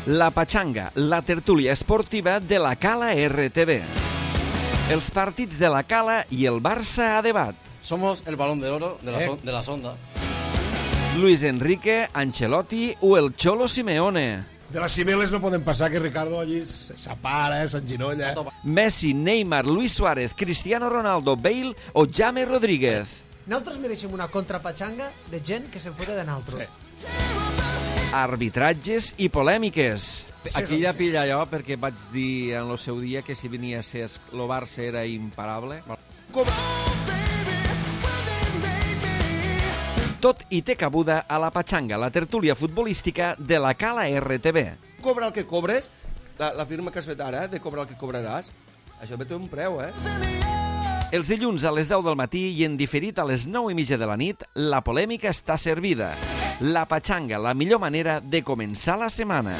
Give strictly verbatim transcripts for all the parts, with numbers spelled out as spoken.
La Pachanga, la tertúlia esportiva de la Cala R T V. Els partits de la Cala i el Barça a debat. Somos el balón de oro de, la ¿Eh? son, de las ondas. Luis Enrique, Ancelotti o el Cholo Simeone. De les cimeles no poden passar que Ricardo allí s'apara, eh, s'enginolla. Messi, Neymar, Luis Suárez, Cristiano Ronaldo, Bale o James Rodríguez. Nosaltres mereixem una contrapatxanga de gent que se'n fota de naltro. Sí. Arbitratges i polèmiques. Aquí ja pilla allò, perquè vaig dir en el seu dia que si venia a ser el Barça era imparable. Tot i té cabuda a la Pachanga, la tertúlia futbolística de la Cala R T V. Cobra el que cobres, la, la firma que has fet ara, de cobrar el que cobraràs, això té un preu, eh? Els dilluns a les deu del matí i en diferit a les nou i mitja de la nit, la polèmica està servida. La Pachanga, la millor manera de començar la setmana.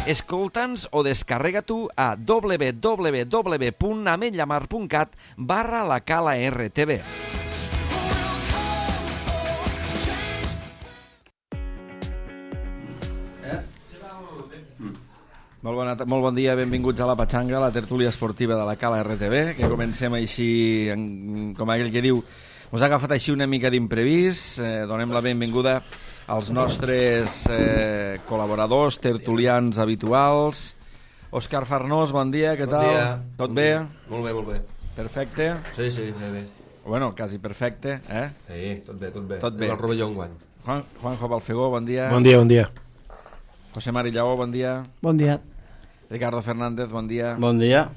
Escolta'ns o descarrega tu a w w w punt ametlla mar punt cat barra la Cala R T V. Molt, bona, molt bon dia, benvinguts a la Pachanga, la tertúlia esportiva de la Cala R T V, que comencem així, en, com aquell que diu, us ha agafat així una mica d'imprevist. Eh, donem la benvinguda als nostres eh, col·laboradors, tertulians habituals. Òscar Farnós, bon dia, què Bon tal? dia. Tot Bon bé? dia. Molt bé, molt bé. Perfecte? Sí, sí, bé, bé. Bueno, quasi perfecte, eh? Sí, tot bé, tot bé. Tot bé. El rovelló enguany. Juan, Juanjo Balfegó, bon dia. Bon dia, bon dia. José Mari Lleó, bon dia. Bon dia. Ricardo Fernández, bon dia. Bon dia.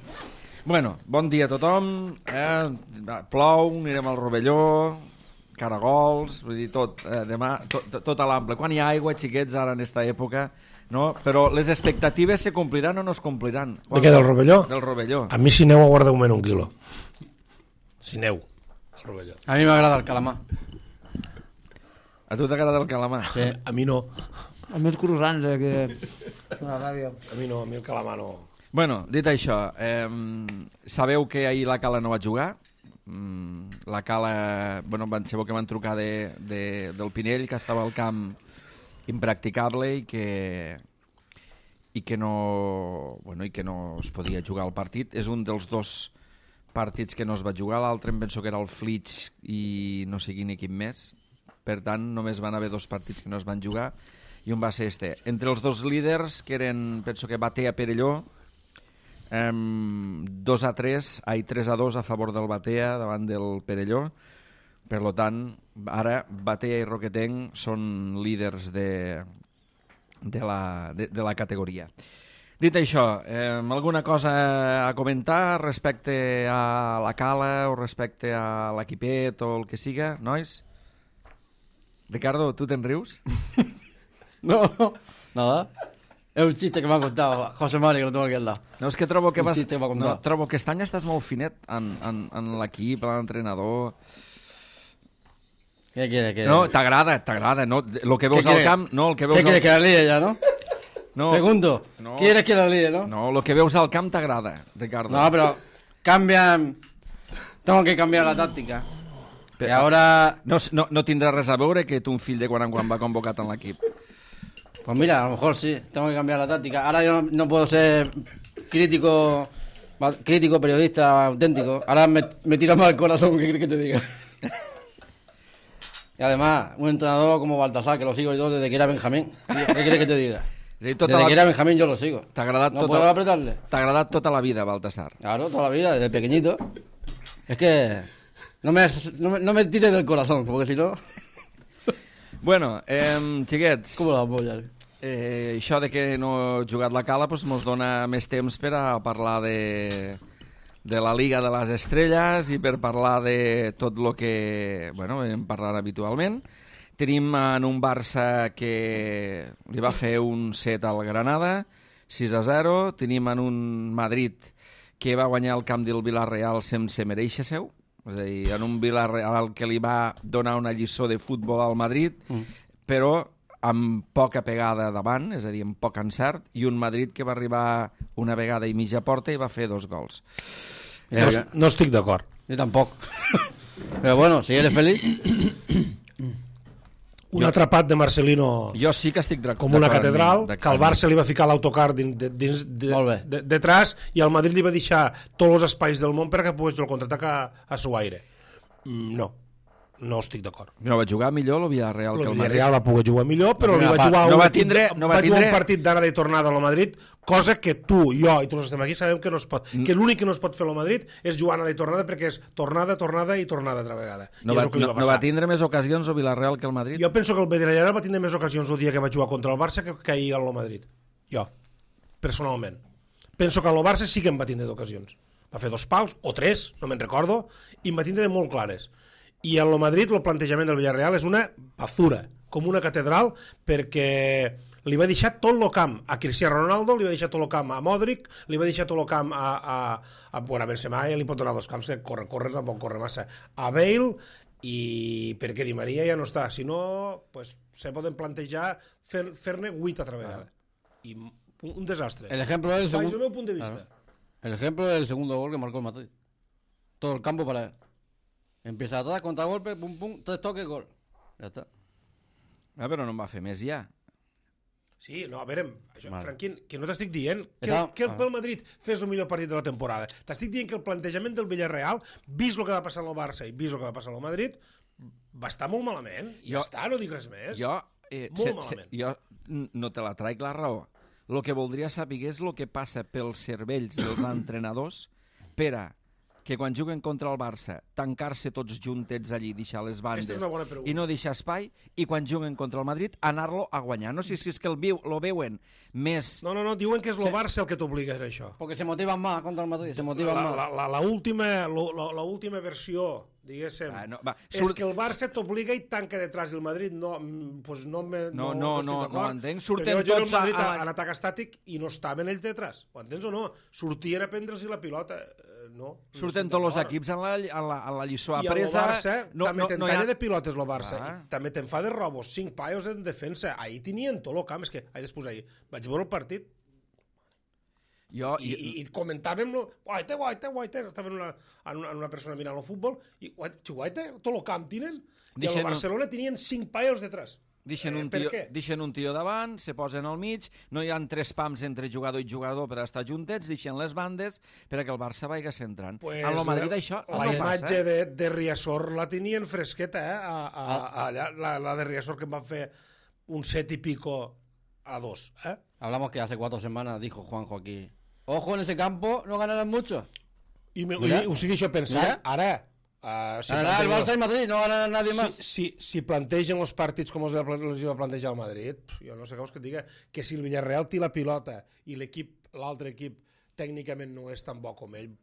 Bueno, bon dia a tothom. Eh? Plou, anirem al Rovelló, caragols, vull dir, tot, eh, demà, tot, tot a l'ample. Quan hi ha aigua, xiquets, ara en esta època, no? Però les expectatives se compliran o no es compliran? De què, del Rovelló? Del Rovelló. A mi si neu aguarda un un quilo. Si neu. Al Rovelló. A mi m'agrada el calamar. A tu t'agrada el calamar? Sí. A mi no. Els meus croissants, eh, que... A la ràdio. A mi no, a mi el calamar no. Bueno, dit això, eh, sabeu que ahir la Cala no va jugar? Mm, la Cala, bueno, van, sabeu que van trucar de, de, del Pinell, que estava al camp impracticable i que, i que no, bueno, i que no es podia jugar al partit. És un dels dos partits que no es va jugar, l'altre em penso que era el Flix i no sé quin equip més. Per tant, només van haver dos partits que no es van jugar i un va ser este. Entre els dos líders, que eren, penso que Batea Perelló, eh, dos a tres, ai, tres a dos a favor del Batea davant del Perelló. Per lo tant, ara Batea i Roquetenc són líders de, de, la, de, de la categoria. Dit això, eh, alguna cosa a comentar respecte a la Cala o respecte a l'equipet o el que siga, nois? Ricardo, ¿tú te rius? No, nada. Es un chiste que me ha contado José Mari, que lo tengo aquí al lado. No, és que trobo que Un vas... xiste que m'ha contat. No, trobo que aquest any estàs molt finet en, en, en l'equip, en l'entrenador... ¿Qué quiere que...? No, t'agrada, t'agrada, no? Lo que veus ¿Qué al quiere? camp, no, el que veus ¿Qué quieres al... que la líe ya, no? No, Pregunto. no. ¿Quieres que la líe, no? no, lo que veus al camp t'agrada, Ricardo. No, pero cambian... Tengo que cambiar la táctica. Però- Que ahora... No, no, no tindrà res a veure que tu un fill de quan en quan va convocat en l'equip. Pues mira, a lo mejor sí, tengo que cambiar la táctica. Ahora yo no, no puedo ser crítico, ma- crítico, periodista auténtico. Ahora me, me tira más el corazón, ¿qué quieres que te diga? Y además, un entrenador como Baltasar, que lo sigo yo desde que era Benjamín. ¿Qué quieres que te diga? És a dir, tota Desde la- que era Benjamín yo lo sigo. T'ha agradat, No tota... puedo apretarle. T'ha agradat tota la vida, Baltasar. Claro, toda la vida, desde pequeñito. Es que no me, no me, no me tires del corazón, porque si no... Bueno, eh, xiquets... ¿Cómo la voy a...? Eh, això de que no he jugat la Cala doncs mos dona més temps per a parlar de, de la Liga de les Estrelles i per parlar de tot el que bueno, hem parlat habitualment. Tenim en un Barça que li va fer un set al Granada, sis a zero. Tenim en un Madrid que va guanyar el camp del Villarreal sense mereixer seu. És a dir, en un Villarreal que li va donar una lliçó de futbol al Madrid, mm. però amb poca pegada davant, és a dir, amb poc encert, i un Madrid que va arribar una vegada i mitja porta i va fer dos gols. No, no estic d'acord. Yo tampoco. Pero bueno, si eres feliz... un Jo- atrapat de Marcelino Jo sí que estic d'acord. com una d'acord catedral, amb- que el Barça li va ficar l'autocar dins, de, dins de, Molt bé. de, detrás i el Madrid li va deixar tots els espais del món perquè pogués el contraatac a, a su aire. Mm, no, no estic d'acord. No, va jugar millor el Villarreal que El el Madrid. Villarreal va poder jugar millor, però li primera va part. jugar, No un, va equip- tindre- no va va jugar tindre- un partit d'anada i tornada a lo Madrid, cosa que tu, jo i tots els que estem aquí sabem que no es pot. Mm. Que l'únic que no es pot fer a lo Madrid és jugar anada i tornada perquè és tornada, tornada i tornada altra vegada. No I va, és el que li no, va no passar. va tindre més ocasions el Villarreal que el Madrid? Jo penso que el Villarreal va tindre més ocasions el dia que va jugar contra el Barça que, que ahir al Madrid. Jo, personalment. Penso que el Barça sí que en va tindre d'ocasions. Va fer dos pals, o tres, no me'n recordo, i en va tindre molt clares. I al Madrid el plantejament del Villarreal és una basura, com una catedral, perquè li va deixar tot el camp a Cristiano Ronaldo, li va deixar tot el camp a Modric, li va deixar tot el camp a, a, a, bueno, a Benzema, ja li pot donar dos camps, que corre, corre, tampoc corre massa, a Bale, i perquè Di Maria ja no està. Si no, pues, se poden plantejar fer- fer-ne vuit altra vegada. I un, un desastre. El ejemplo del Baix el segundo. meu punt de vista. El ejemplo del segundo gol que marcó el Madrid. Todo el campo para él. Empieza atrás, contragolpe, pum, pum, tres toques, gol. Ya está. Ah, però no en va fer més ja. Sí, no, a veure, això, Vale. Franquín, que no t'estic dient que, Estava- que el ah. pel Madrid fes el millor partit de la temporada. T'estic dient que el plantejament del Villarreal, vist el que va passar al Barça i vist el que va passar al Madrid, va estar molt malament. I Jo- ja està, no dic res més. Jo, eh, Molt malament. jo n- no te la traic la raó. El que voldria saber és el que passa pels cervells dels entrenadors per a que quan juguen contra el Barça tancar-se tots juntets allí, deixar les bandes Aquesta és una bona pregunta. i no deixar espai, i quan juguen contra el Madrid anar-lo a guanyar. No sé si és que el, viu, lo veuen més... No, no, no, diuen que és el Barça el que t'obliga a això. Porque se motivan más contra el Madrid, se La, motivan la, más. la, la, la, última, lo- la, la última versió, diguéssim, Ah, no, va, és surt- que el Barça t'obliga i tanca detrás del Madrid. No, mm, pues no, me, No, no, estic no, d'acord. no ho entenc. Surten Perquè jo tots el Madrid a- a, a- en atac estàtic i no estaven ells detrás. Ho entens o no? Sortien a prendre'ls la pilota. Eh, No, Surten no estic tots els d'acord. equips en la, en la, en la lliçó I el apresa. Barça no, també no, te'n no hi talla ha... de pilotes el Barça. Ah. I també te'n fa de robos. Cinc paios en defensa. Ahir tenien tot el camp. És que, ahir després ahir, vaig veure el partit Jo, i, i, i comentàvem lo, guaita, guaita, guaita, estaven una, en, una, en una persona mirant el futbol i guaita, guaita, tot el camp tenen i Deixen al un- Barcelona tenien cinc paios detrás. Deixen, Eh, un per tio, què? deixen un tio davant, se posen al mig, no hi ha tres pams entre jugador i jugador per estar juntets, deixen les bandes perquè el Barça vagi centrant. Pues en el Madrid la, això la no imatge passa. Eh? de, de Riasor la tenien fresqueta, eh? A, a, a, allà, la, la de Riasor que em van fer un set i pico a dos, eh? Hablamos que hace cuatro semanas dijo Juanjo aquí. Ojo, en ese campo no ganarán mucho. I, me, Mira. i o sigui, això pensant, Mira. ara... Uh, si Ganará el plantegen- Barça y Madrid, no ganará nadie más. Si, si, si plantegen els partits com els va, els va plantejar el Madrid, pf, jo no sé què vols que et diga, que si el Villarreal té la pilota i l'equip, l'altre equip tècnicament no és tan bo com ell,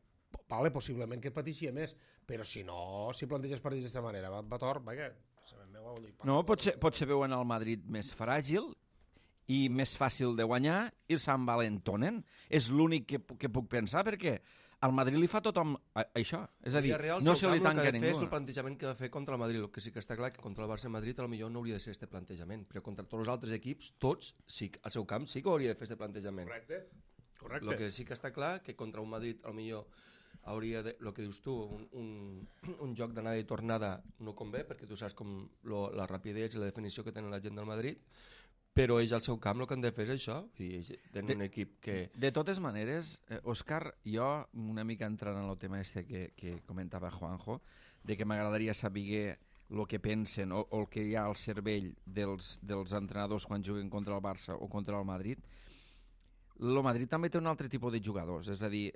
vale, possiblement que pateixia més, però si no, si planteges partits d'aquesta manera, va, va tort, vaja, sabem meu, vol dir, No, potser, potser veuen el Madrid més fràgil i més fàcil de guanyar i s'envalentonen. És l'únic que, pu- que puc pensar, perquè al Madrid li fa tothom a, això. És a dir, Villarreal, no seu se li camp, el tanca que ha de fer és ningú. el plantejament que ha de fer contra el Madrid. El que sí que està clar que contra el Barça i Madrid potser no hauria de ser este plantejament, però contra tots els altres equips, tots, sí, al seu camp sí que hauria de fer este plantejament. Correcte, correcte. El que sí que està clar que contra un Madrid potser hauria de, el que dius tu, un, un, un joc d'anada i tornada no convé, perquè tu saps com lo, la rapidesa i la definició que tenen la gent del Madrid, però ells al seu camp el que han de fer és això, i ells tenen un equip que... De totes maneres, eh, Òscar, jo una mica entrant en el tema este que, que comentava Juanjo, de que m'agradaria saber el que pensen o, o el que hi ha al cervell dels, dels entrenadors quan juguen contra el Barça o contra el Madrid. El Madrid també té un altre tipus de jugadors, és a dir,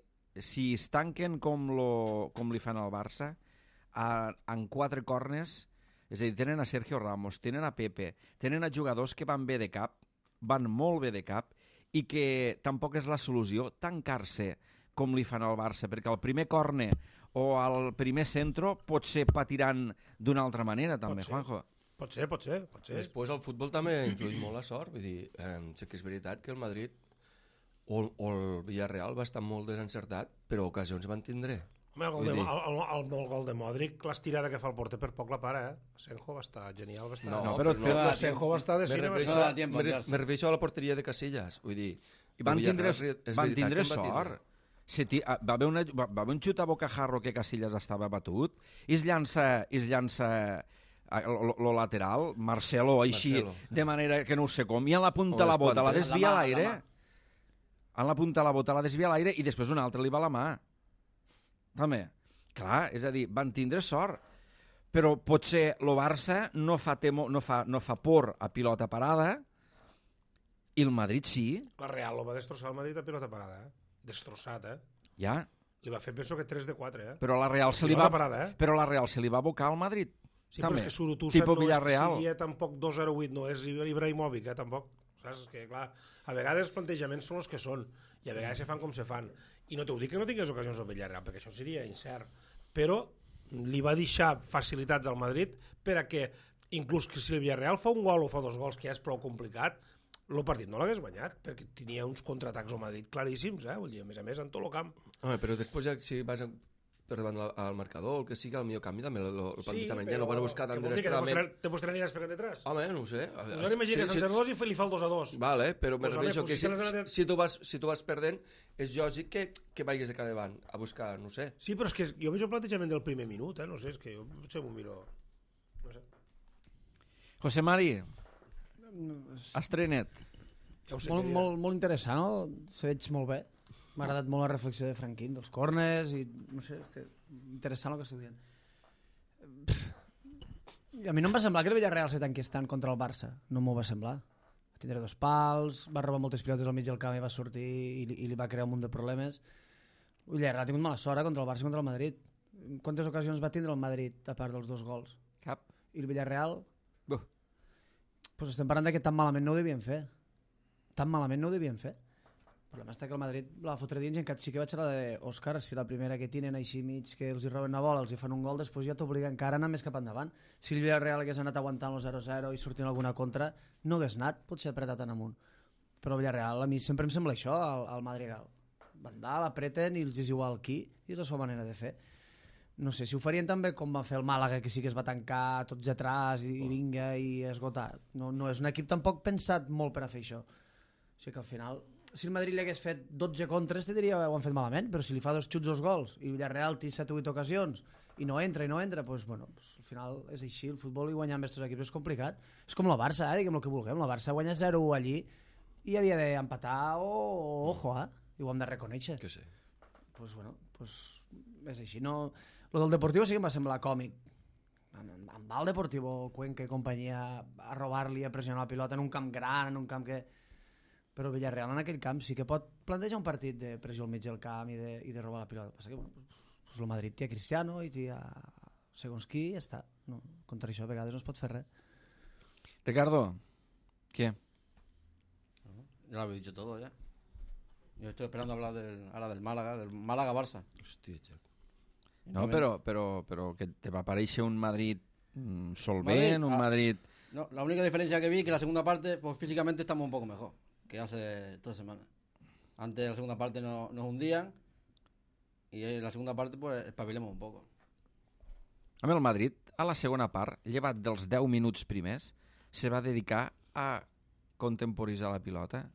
si es tanquen com, lo, com li fan al Barça, a, en quatre cornes, és a dir, tenen a Sergio Ramos, tenen a Pepe, tenen a jugadors que van bé de cap, van molt bé de cap, i que tampoc és la solució tancar-se com li fan al Barça, perquè el primer corne o el primer centro potser patiran d'una altra manera, també, Pot ser. Juanjo. Pot ser, pot ser, pot ser. Després el futbol també influeix molt la sort, vull dir, eh, sí que és veritat que el Madrid o, o el Villarreal va estar molt desencertat, però ocasions van tindre. Home, el gol, Vull de, dir- el, el, el, el gol de Modric, l'estirada que fa el porter per poc la para, eh? Senjo va estar genial, va estar... No, però- no, però- Senjo va estar de Me cine, va refereixo, no estar... da tiempo, me, re- Gerson. me refereixo a la porteria de Casillas, vull dir... I van el tindre, Villarreal és van veritat tindre que en va sort. tindre. Se ti, ah, va, haver una, va, va haver un xut a bocajarro que Casillas estava batut i es llança, i es llança lo lateral, Marcelo, així, Marcelo. de manera que no ho sé com, i en la punta O la les bota la quantes. desvia a La mà, l'aire, la mà. en la punta la bota la desvia a l'aire i després un altre li va a la mà. També. Clar, és a dir, van tindre sort. Però potser el Barça no fa, temo, no fa, no fa por a pilota parada i el Madrid sí. La Real lo va destrossar el Madrid a pilota parada, eh? Destrossat, eh? Ja. Li va fer, penso que tres de quatre, eh? Però la Real se li Pilota va, parada, eh? però la Real se li va abocar al Madrid. Sí, però també. és que Surutusa Tipo no és que Villarreal. sigui eh, tampoc dos zero vuit, no és Ibrahimovic, eh, tampoc. Saps? Que, clar, a vegades els plantejaments són els que són, i a vegades se fan com se fan. I no t'ho dic que no tingués ocasions al Villarreal, perquè això seria incert. Però li va deixar facilitats al Madrid per a que, inclús que si el Villarreal fa un gol o fa dos gols, que ja és prou complicat, el partit no l'hagués guanyat, perquè tenia uns contraatacs al Madrid claríssims, eh? Vull dir, a més a més, en tot el camp. Home, però després ja, si vas per davant al, al marcador, el que sigui, el millor canvi també el, el plantejament. Ja no van a buscar tan desesperadament. Després t'aniràs per detrás. Home, no ho sé. Pues ara imagina que en zero dos i li fa el dos a dos. Vale, però Pues, me home, refereixo pues, que si si, se les ha de- si, tu vas, si tu vas perdent, és lògic que, que vagis de cara davant a buscar, no sé. Sí, però és que jo veig el plantejament del primer minut, eh? No sé, és que jo potser m'ho miro... No sé. José Mari, estrenet. Ja ho sé Molt, què diré. molt, molt interessant, no? Se veig molt bé. M'ha agradat molt la reflexió de Franquín, dels corners, i no sé, és interessant el que estic dient. Pff, a mi no em va semblar que el Villarreal se tanqués tant contra el Barça. No m'ho va semblar. Va tindre dos pals, va robar moltes pilotes al mig del camp i va sortir i, li- i li va crear un munt de problemes. El Villarreal ha tingut mala sort eh, contra el Barça i contra el Madrid. Quantes ocasions va tindre el Madrid, a part dels dos gols? Cap. I el Villarreal, Buh. pues estem parlant de que tan malament no ho devien fer. Tan malament no ho devien fer. El problema està que el Madrid la va fotre dins i encara sí que vaig a la d'Òscar, si la primera que tenen així mig que els hi roben una bola, els hi fan un gol, després ja t'obliga encara a anar més cap endavant. Si el Villarreal hagués anat aguantant el zero zero i sortint alguna contra, no hagués anat, potser apretat en amunt. Però el Villarreal a mi sempre em sembla això, al, al Madrigal. Van dalt, apreten i els és igual qui, i és la seva manera de fer. No sé, si ho farien també com va fer el Màlaga, que sí que es va tancar tots atrás i, i vinga i esgotar. No, no és un equip tampoc pensat molt per a fer això. O sigui que al final, si el Madrid li hagués fet dotze contres, te diria que ho han fet malament, però si li fa dos xuts dos gols i Villarreal té set o vuit ocasions i no entra i no entra, doncs, bueno, doncs, al final és així, el futbol i guanyar amb aquests equips és complicat. És com la Barça, eh? Diguem el que vulguem, la Barça guanya zero u allí i havia d'empatar o, o ojo, eh? I ho hem de reconèixer. Que sé. Pues bueno, pues és així. No... Lo del Deportivo sí que em va semblar còmic. Amb, amb el Deportivo, el Cuenca i companyia, a robar-li, a pressionar la pilota en un camp gran, en un camp que... Però el Villarreal en aquell camp sí que pot plantejar un partit de pressió al mig del camp i de, i de robar la pilota. Passa que, bueno, pues, pues el Madrid té a Cristiano i té a segons qui i ja està. No, contra això a vegades no es pot fer res. Ricardo, què? Ya lo habéis dicho todo ya. Yo estoy esperando hablar del, ahora del Málaga, del Málaga-Barça. Hòstia, Jack. No, però, però, però que te va aparèixer un Madrid mm, solvent, Madrid, un ah. Madrid... No, la única diferencia que vi es que la segunda parte, pues físicamente estamos un poco mejor que hace toda semana. Antes la segunda parte no, nos hundían y en la segunda parte pues espabilemos un poco. A mi el Madrid, a la segona part, llevat dels deu minuts primers, se va dedicar a contemporitzar la pilota.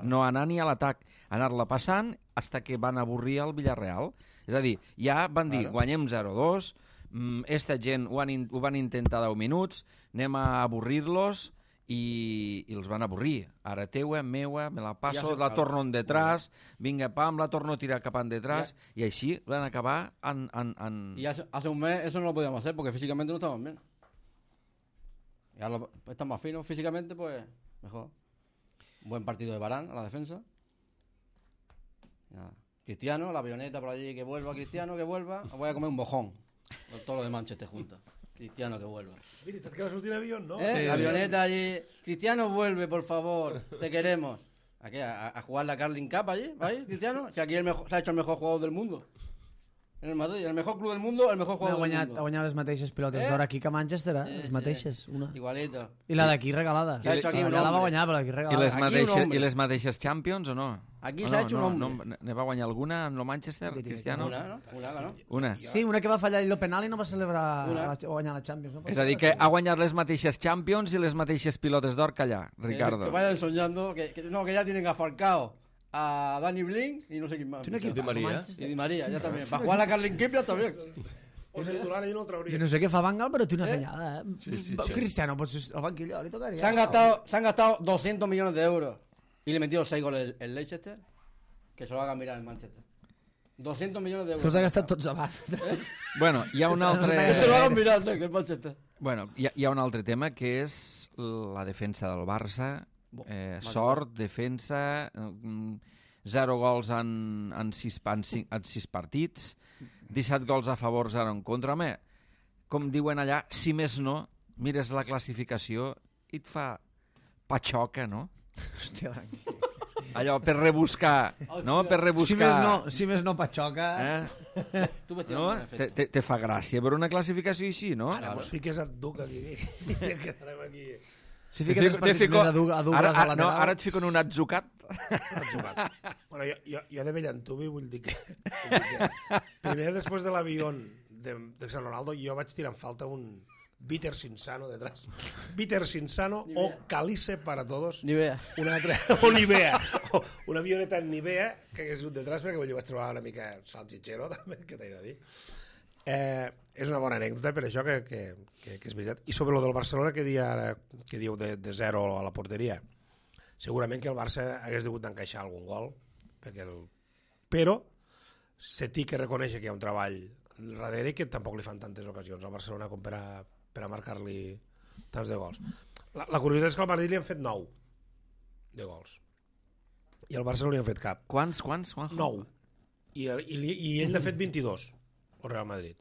No anar ni a l'atac, anar-la passant fins que van avorrir el Villarreal. És a dir, ja van dir, Claro. guanyem zero dos, mm, esta gent ho, han, in- ho van intentar deu minuts, anem a avorrir-los i, i els van avorrir. Ara teua, meua, me la passo, Ja sé, la claro. torno en detrás, vinga, pam, la torno a tirar cap en detrás, i així van acabar en... en, en... Y hace, hace un mes eso no lo podíamos hacer porque físicamente no estábamos bien. Y ahora lo- estamos más finos físicamente, pues mejor. Un buen partido de Varane a la defensa. Y nada. Cristiano, la avioneta por allí, que vuelva Cristiano, que vuelva. Voy a comer un mojón. Con todo lo de Manchester juntos. Cristiano que vuelva. Veritat que va sortir en avió, no? ¿Eh? La avioneta allí. Cristiano vuelve, por favor. Te queremos. ¿A qué? ¿A, a jugar la Carling Cup allí? ¿Va ahí, Cristiano? Que aquí el mejor, se ha hecho el mejor jugador del mundo. En el Madrid, el mejor club del mundo, el mejor Ha jugador del guanyat, mundo. ha guanyat les mateixes pilotes Eh? d'or aquí que a Manchester, eh? Sí, les sí. mateixes, una. Igualito. I la d'aquí regalada. Se ha hecho aquí la un d'allà la va hombre. guanyar, però d'aquí I regalada. les, Aquí un mateixes, hombre. I les mateixes Champions o no? Aquí o s'ha no, hecho un no, hombre. no, ne va guanyar alguna amb el Manchester, Diria que Cristiano? Una, ¿no? Una, ¿no? Una. Sí, una que va fallar el penal i no va celebrar Una. la, guanyar la Champions. No? És a dir, que ha guanyat les mateixes Champions i les mateixes pilotes d'or que allà, Que, Ricardo. que vayan soñando, que, que- no, que ya tienen a Falcao, a Dani Blink y no sé quién más. Tiene fichado. equipazo, Di María. Manchester. Y Di María, ya también. Para jugar la Carling Cup ya está bien. És titular i no el trauria. Yo no sé qué fa Bangal, pero tiene una ¿Eh? señada, ¿eh? Sí, sí, Va- sí. Cristiano, pues al banquillo le tocaría. Se han gastado, se han gastado doscientos millones de euros y le metido seis goles el, el Leicester. Que se lo haga mirar el Manchester. doscientos millones de euros. Se els ha gastat tots abans. Bueno, hi ha un Que altre... se lo hagan mirar, que el Manchester. Bueno, hi ha, hi ha un altre tema que és la defensa del Barça. Eh, sort, defensa, mm, zero gols en, en, sis, en, cinc, en sis partits, disset gols a favor, zero en contra. Home, com diuen allà, si més no, mires la classificació i et fa patxoca, no? Hòstia, Branqui. Allò, per rebuscar, no? Per rebuscar... Si més no, si més no patxoca... Eh? Tu ves No? Te, te, te fa gràcia per una classificació així, no? Ara mos fiques et duc aquí. I quedarem aquí. Si Te fiques fico- els te partits fico- més a, du a dubles ara, a ara, no, lateral... ara et fico en un atzucat. Has jugat. Bueno, jo, jo, jo de Bellantubi vull dir que... Vull dir que primer, després de l'avió de, de San Ronaldo, jo vaig tirar en falta un Bitter Sinsano detrás. Bitter Sinsano o Calice para todos. Nivea. Una altra, o Nivea. O una avioneta en Nivea que hagués dut detrás perquè jo vaig trobar una mica salchichero, també, que t'he de dir. Eh, és una bona anècdota per això que, que, que, que és veritat. I sobre lo del Barcelona que, dia, ara- que diu de, de zero a la porteria, segurament que el Barça hagués degut d'encaixar algun gol, perquè el... però se té que reconèixer que hi ha un treball darrere i que tampoc li fan tantes ocasions al Barcelona com per a, per a marcar-li tants de gols. La, la curiositat és que al Madrid li han fet nou de gols i al Barça no li han fet cap. Quants, quants, Juanjo? Nou. I, i, li- i ell n'ha fet vint-i-dos, el Real Madrid.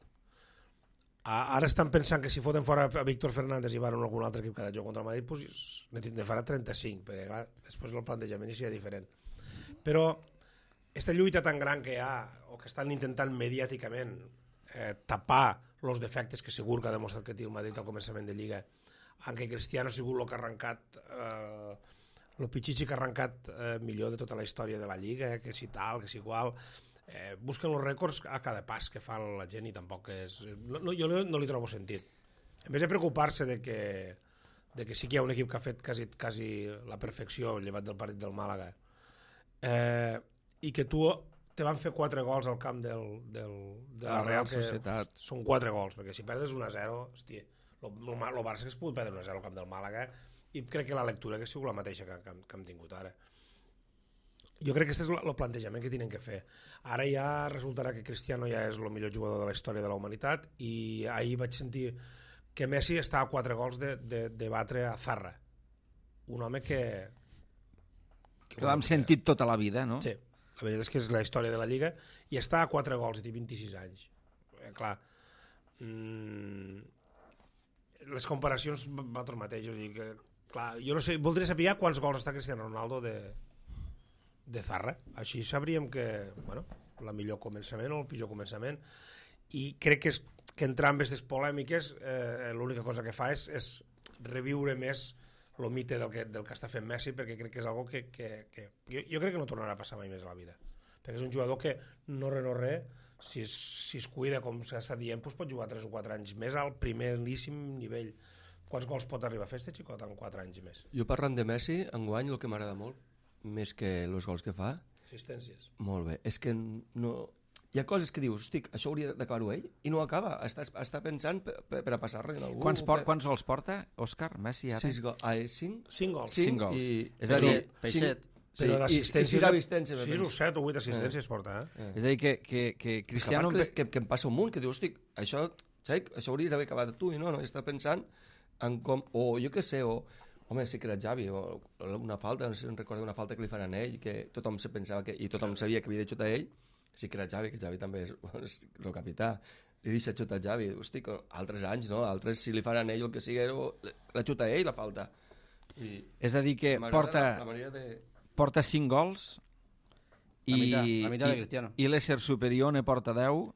A, ara estan pensant que si foten fora a Víctor Fernández i van a algun altre equip cada joc contra el Madrid, pues, ne tindrà farà trenta-cinc, perquè clar, després el plantejament seria diferent. Però aquesta lluita tan gran que hi ha, o que estan intentant mediàticament eh, tapar els defectes que segur que ha demostrat que té el Madrid al començament de Lliga, en què Cristiano ha sigut el que ha arrencat eh, el pitxitxi que ha arrencat eh, millor de tota la història de la Lliga, eh, que si tal, que si igual... Eh, busquen els rècords a cada pas que fa la gent i tampoc és... No, no, jo no, no li trobo sentit. En vez de preocupar-se de que, de que sí que hi ha un equip que ha fet quasi, quasi la perfecció llevat del partit del Màlaga eh, i que tu te van fer quatre gols al camp del, del, de la La Real, Real que Societat. són quatre gols, perquè si perdes un a zero, hòstia, el Barça que es pot perdre un a zero al camp del Màlaga i crec que la lectura que ha sigut la mateixa que, que, que hem tingut ara. Jo crec que aquest és el plantejament que tenen que fer. Ara ja resultarà que Cristiano ja és el millor jugador de la història de la humanitat i ahir vaig sentir que Messi està a quatre gols de, de, de batre a Zarra. Un home que... Que l'hem sentit tota la vida, no? Sí, la veritat és que és la història de la Lliga i està a quatre gols i té vint-i-sis anys. Eh, clar, mmm, les comparacions nosaltres mateixos, dir que, clar, jo no sé, voldria saber quants gols està Cristiano Ronaldo de, de Zarra, així sabríem que, bueno, la millor començament o el pitjor començament, i crec que, és, que entrar en aquestes polèmiques eh, l'única cosa que fa és, és reviure més el mite del que, del que està fent Messi, perquè crec que és algo que, que, que jo, jo crec que no tornarà a passar mai més a la vida, perquè és un jugador que no re no re, si es, si es cuida com s'està dient, doncs pot jugar tres o quatre anys més al primeríssim nivell. Quants gols pot arribar a fer este xicot en quatre anys més? Jo parlant de Messi, enguany el que m'agrada molt, més que els gols que fa, Assistències. molt bé, és que no... Hi ha coses que dius, hosti, això hauria d'acabar-ho ell, i no acaba, està, està pensant per, per, per a passar-li en algú. Quants, por, per... quants gols porta, Òscar, Messi, ara? Sis gols, ah, cinc? Cinc gols. Cinc gols. I... És a dir, Peixet. Sí, Però i, i d'assistències... sis assistències. sis o set o vuit assistències porta, eh? és a dir que, que, que Cristiano... Cristiano... Que, que, que em passa un munt, que dius, hosti, això, saps, això hauries d'haver acabat tu, i no, no, està pensant en com... O jo què sé, o... Home, sí que era Xavi, o una falta, no sé si em recordo una falta que li fan a ell, que tothom se pensava que... I tothom sabia que havia de xutar ell, sí que era Xavi, que Xavi també és, és el capità. Li deixa xutar Xavi, hosti, altres anys, no? Altres, si li fan a ell el que sigui, la xuta ell, la falta. I És a dir que porta, la, la manera de... porta cinc gols i, La meitat, la meitat de i, Cristiano. i l'ésser superior ne porta deu.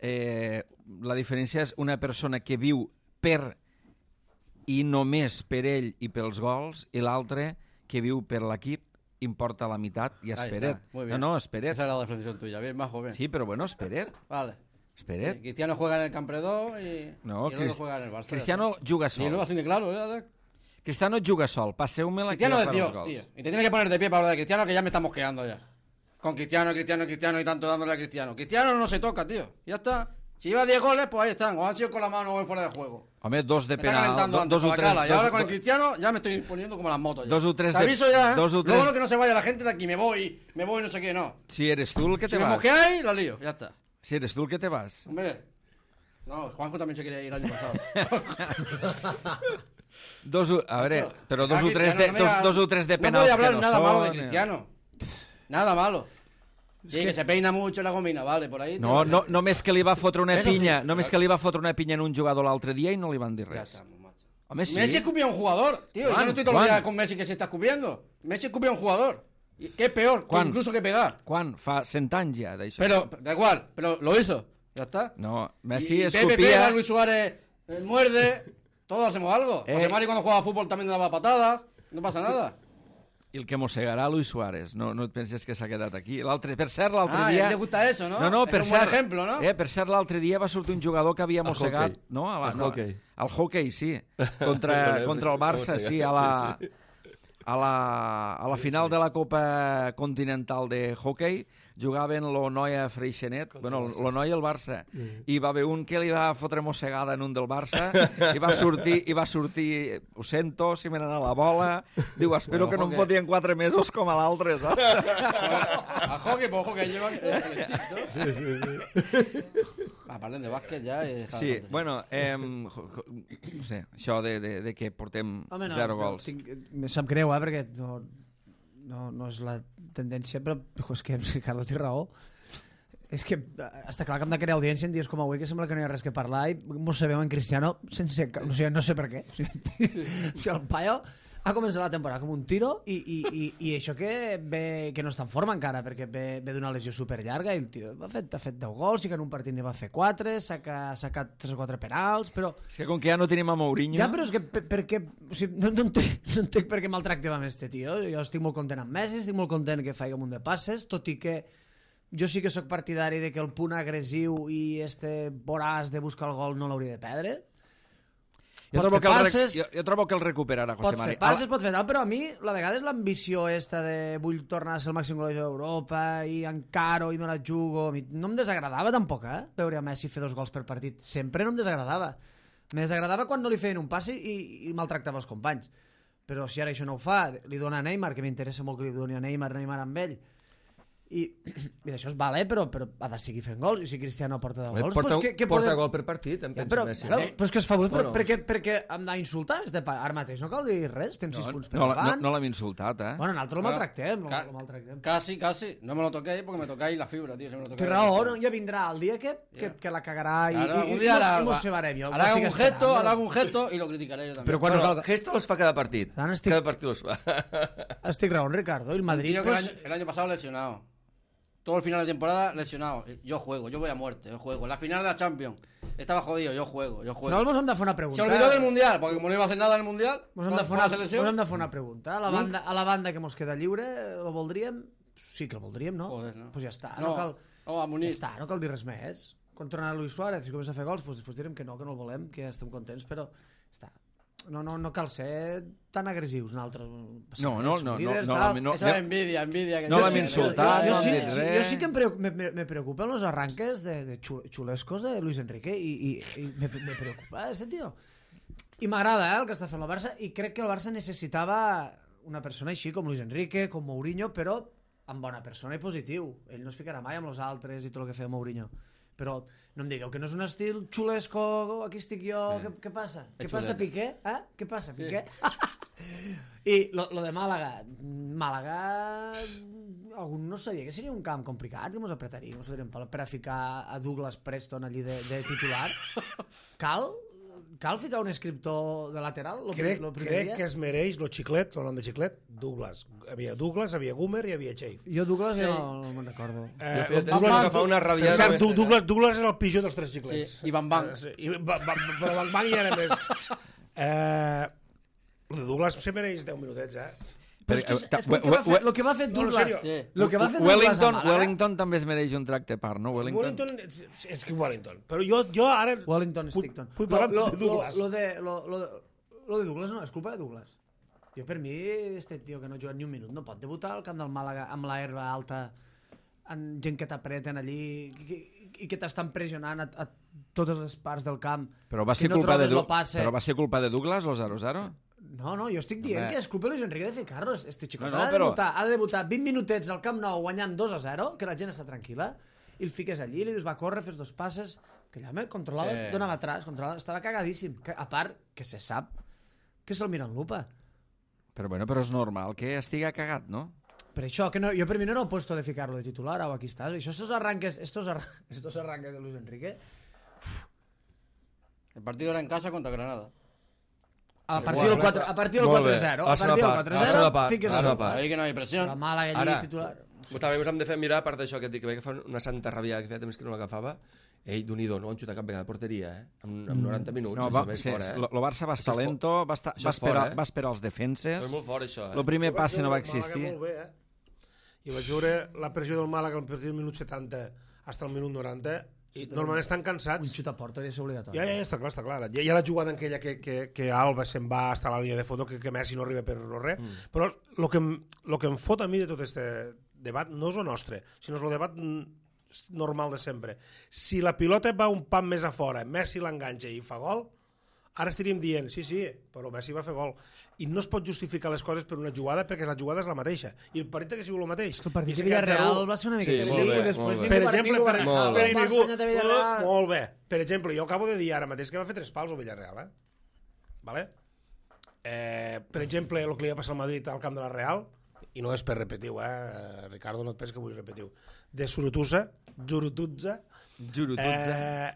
Eh, la diferència és una persona que viu per i només per ell i pels gols, i l'altre que viu per l'equip, importa la meitat i Ahí esperet. está, muy No, bien. no, esperet. Esa era la reflexión tuya, bien, majo, bien. Sí, però bueno, esperet. Vale. Esperet. Cristiano juega en el Campredó y, No, y el Crist- otro juega en el Barça. Cristiano juga Y luego sol. así de claro, ¿eh, Alex? Cristiano juga sol. Passeu-me-la que Cristiano ja de farà els Dios, gols. tío. Y te tienes que poner de pie para hablar de Cristiano, que ya me estamos quedando ya. Con Cristiano, Cristiano, Cristiano y tanto dándole a Cristiano. Cristiano no se toca, tío. Ya está. Si lleva diez goles, pues ahí están. O han sido con la mano o en fuera de juego. Home, dos de Me está penal, calentando do- antes dos con o la tres... cala. Y ahora dos- con el do- Cristiano ya me estoy poniendo como las motos. Ya. Dos o tres Te de- aviso ya, ¿eh? dos o Luego tres- no que no se vaya la gente de aquí. Me voy, me voy, no sé qué, no. Si eres tú el que Si te me vas. mosqueáis, la lío. Ya está. Si eres tú el que te vas. Hombre. No, Juanjo también se quería ir el año pasado. Dos, o- a ver, Macho, pero dos ah, o tres de, Cristiano, no me dos, hagas- dos o tres de No penals voy a hablar que no nada malo de son, eh. Cristiano. Nada malo. Sí, que... se peina mucho la gomina, vale, por ahí. No, te no, vas a- només que li va fotre una Eso sí, pinya, claro. només que li va fotre una pinya en un jugador l'altre dia i no li van dir Ya res. estamos, macho. Home, sí. Messi escupía a un jugador, tío. Yo ¿Cuán? no estoy todos los ¿Cuán? días con Messi que se está escupiendo. Messi escupía a un jugador. Y- ¿Qué es peor? que ¿Cuán? incluso que pegar. Quan? Fa cent anys ja, d'això. Pero, da igual, pero lo hizo. Ya está. No, Y- Messi y Pepe escopia... pega, Luis Suárez eh, muerde. Todos hacemos algo. Eh. José Mari cuando jugaba fútbol también daba patadas. No pasa nada. I el que mossegarà Luis Suárez. No, no et penses que s'ha quedat aquí. L'altre, per cert, l'altre Ah, dia... ¿te gusta eso, no? No, no, es per un cert, buen ejemplo, ¿no? Eh, per cert, l'altre dia va sortir un jugador que havia Al mossegat... hoquei. No, a la, Al no, hoquei. Al hockey, sí. Contra, No, contra el Barça, mossegat, sí, a la, sí, sí. a la, a la Sí, final sí. de la Copa Continental de hockey jugaven l'Onoia Freixenet, Contra bueno, el Barça. l'Onoia i el Barça, i va haver un que li va fotre mossegada en un del Barça i va sortir, i va sortir ho sento, si me n'ha la bola, diu, espero Bueno, que no em hockey. fotien quatre mesos com a l'altre, saps? A hockey, pues hockey llevan el, el stick, ¿no? Sí, sí, sí. Ah, parlen de bàsquet ja i... dejar Sí, de tonterías. bueno, eh, no sé, això de, de, de que portem Home, no, zero no, gols. Tinc, me sap greu, eh, perquè no, no, no és la tendència, però és que Ricardo té raó. És que eh, està clar que hem de crear audiència en dies com avui, que sembla que no hi ha res que parlar, i mos sabem en Cristiano sense... ca- O sigui, no sé per què. O sigui, o sigui, el paio ha començat la temporada com un tiro i, i, i, i això que ve, que no està en forma encara, perquè ve, ve d'una lesió superllarga i el tio ha fet, ha fet deu gols, i que en un partit n'hi va fer quatre, s'ha ca- s'ha sacat tres o quatre penals, però... És que com que ja no tenim a Mourinho... Ja, però és que per, per què... O sigui, no, no, entenc, no entenc per què maltractem amb este tio. Jo estic molt content amb Messi, estic molt content que faci un munt de passes, tot i que jo sí que sóc partidari de que el punt agressiu i este voràs de buscar el gol no l'hauria de perdre. Jo Pot trobo, fer que el, rec- passes, jo, jo trobo que el recuperarà José pot Mari. fer passes, pot fer tal, però a mi la vegada és l'ambició esta de vull tornar a ser el màxim golejador d'Europa i encaro i me la jugo. A mi no em desagradava tampoc, eh? Veure a Messi fer dos gols per partit. Sempre no em desagradava. Me desagradava quan no li feien un passi i, i maltractava els companys. Però si ara això no ho fa, li dona a Neymar, que m'interessa molt que li doni a Neymar, Neymar amb ell, i, i d'això es vale, però, però ha de seguir fent gols, i si Cristiano porta deu Home, gols, porta, pues, què, què porta podem... gol per partit, em Ja, pensa però, Messi. claro, no? però és que és fabulós, però Bueno, perquè, perquè hem d'insultar este pa... ara mateix, no cal dir res, estem sis No, punts per no, la- no, davant. no l'hem insultat, eh? Bueno, nosaltres el maltractem, Ca- lo maltractem. Casi, casi. No me lo toquéis porque me tocáis la fibra, tío. Si me lo Té tocáis. raó, no? Ja vindrà el dia que, que, Ja. que la cagarà i, Claro, i, un i, día hará, i mos separem. Jo hará l'estic un gesto, esperant, hará però- un gesto y lo criticaré yo también. Però quan Bueno, no cal... gesto los fa cada partit. Ara estic- Cada partit los fa. Estic raó, Ricardo. I el Un Madrid, tío que el, pues... año, el año pasado lesionado. Todo el final de temporada lesionado. Yo juego, yo voy a muerte, yo juego. La final de la Champions. Estaba jodido, yo juego, yo Al juego. final mos hem de fer una Se pregunta. olvidó del Mundial, porque como no iba a hacer nada en el Mundial, Mos hem de fer con una, la selección. mos hem de fer una pregunta. A la, banda, a la banda que mos queda lliure, el voldríem? Sí que el voldríem, no? Joder, no. Pues ja està, no, No, cal... no, a Ja Muniz. està, no cal dir res més. Quan tornarà Luis Suárez i comença a fer gols, pues després direm que no, que no el volem, que ja estem contents, però està. No, no, no cal ser tan agressius nosaltres. No, no, no, no, líders, no, tal. no, Esa es envidia, envidia. Que No yo l'hem sí- insultat, jo, no sí, han dit sí, res. jo sí que em, preu- me, me, me preocupen los arranques de, de xul- xulescos de Luis Enrique i, i, i me, me preocupa este tio. I m'agrada eh, el que està fent el Barça i crec que el Barça necessitava una persona així com Luis Enrique, com Mourinho, però amb bona persona i positiu. Ell no es ficarà mai amb els altres i tot el que feia Mourinho. Però no em digueu que no és un estil xulesco, aquí estic jo, què, què passa? Què xulet. passa, Piqué? Eh? Què passa, Piqué? I lo, lo de Màlaga, Màlaga, algun no sabia que seria un camp complicat, que mos apretaríem, mos fotríem per, per a ficar a Douglas Preston allí de, de titular. Cal? Cal ficar un escriptor de lateral? Lo, Crec, lo primer crec dia? que es mereix lo xiclet, el nom de xiclet, Douglas. Havia Douglas, havia Gumer i havia Chafe. Jo Douglas Sí. no, no me'n recordo. Eh, Jo feia temps Douglas- que m'agafava una Per rabiada. cert, amb este, Douglas, Douglas era el pitjor dels tres xiclets. Sí, i Van Van. Eh, sí, i va, va, però Van Van hi era més. Eh, el de Douglas se mereix deu minutets, eh? Però és que, eh, ta- és que el, que va we- fer, we- el que va fer No, en Douglas... sèrio. Sí. Lo que va fer Douglas a Wellington, Màlaga... Wellington també es mereix un tracte a part, no? Wellington. Wellington, és, és que Wellington. Però jo, jo ara... Wellington vull- Stickton. Vull parlar lo, de Douglas. Lo, lo, de, lo, lo, lo de Douglas no, és culpa de Douglas. Jo per mi, este tio que no juga ni un minut, no pot debutar al camp del Màlaga amb la herba alta, amb gent que t'apreten allí i que, i que t'estan pressionant a, a totes les parts del camp. Però va Si ser no culpa de trobes Du- lo passe- però va ser culpa de Douglas, lo zero zero? No, no, jo estic dient Home. que és culpa de Luis Enrique de ficar-los. Este xicot No, no, ha, de però- debutar, ha de debutar vint minutets al Camp Nou guanyant dos a zero, que la gent està tranquil·la, i el fiques allí, li dius, va córrer, fes dos passes, que allà me controlava, Sí. donava atrás, controlava, estava cagadíssim. Que, a part, que se sap que se'l mira en lupa. Però bueno, però és normal que estiga cagat, no? Per això, que no, jo per mi no era el puesto de ficar-lo de titular, o aquí estàs. Això, estos arranques, estos, arra estos arranques de Luis Enrique, El partido era en casa contra Granada. a partir Igual, del quatre a partir del Molt bé. quatre zero, A a la partir del segona part, quatre a la zero, segona part, fiques a la el segona part. Ahí que no hay presión. La Màlaga allí Ara. titular. També ens hem de fer mirar, a part d'això que et dic, que veia que fa una santa ràbia que feia temps que no l'agafava. Ei, d'un-i-do, no van xutar cap vegada a porteria, eh? Amb, amb noranta minuts, No, això va, és sí, fort, eh? lo, lo Barça va estar Això és lento, va, estar, això va, és fort, esperar, eh? va esperar els defenses, És molt fort, això, eh? el primer Jo vaig passe no va veure el Màlaga existir. Molt bé, eh? I vaig veure la pressió del Màlaga al partit del minut setanta fins al minut noranta i normalment estan Un cansats. xut a porta és obligatori. Ja, ja, ja, està clar, està clar. Ja, ja la jugada en aquella que, que, que Alba se'n va hasta la línia de fondo, que, que Messi no arriba per no res. Mm. Però el que, em, lo que em fot a mi de tot este debat no és el nostre, sinó és el debat mm, normal de sempre. Si la pilota va un pam més a fora, Messi l'enganxa i fa gol, ara estaríem dient, sí, sí, però Messi va fer gol. I no es pot justificar les coses per una jugada perquè la jugada és la mateixa. I el partit que sigut el mateix. El partit I de s'ha quedat Villarreal zero u. va ser una Sí, mica... molt bé, i després molt bé. ningú Per va- exemple, ningú per, va- Molt per bé. el ningú, Barça de Villarreal. uh, molt bé. Per exemple, jo acabo de dir ara mateix que va fer tres pals al Villarreal, eh? Vale? Eh, per exemple, el que li va passar al Madrid al camp de la Real, i no és per repetiu, eh? Ricardo, no et penses que vull repetiu, de Surutusa, Zurututza, Juro, tots, eh?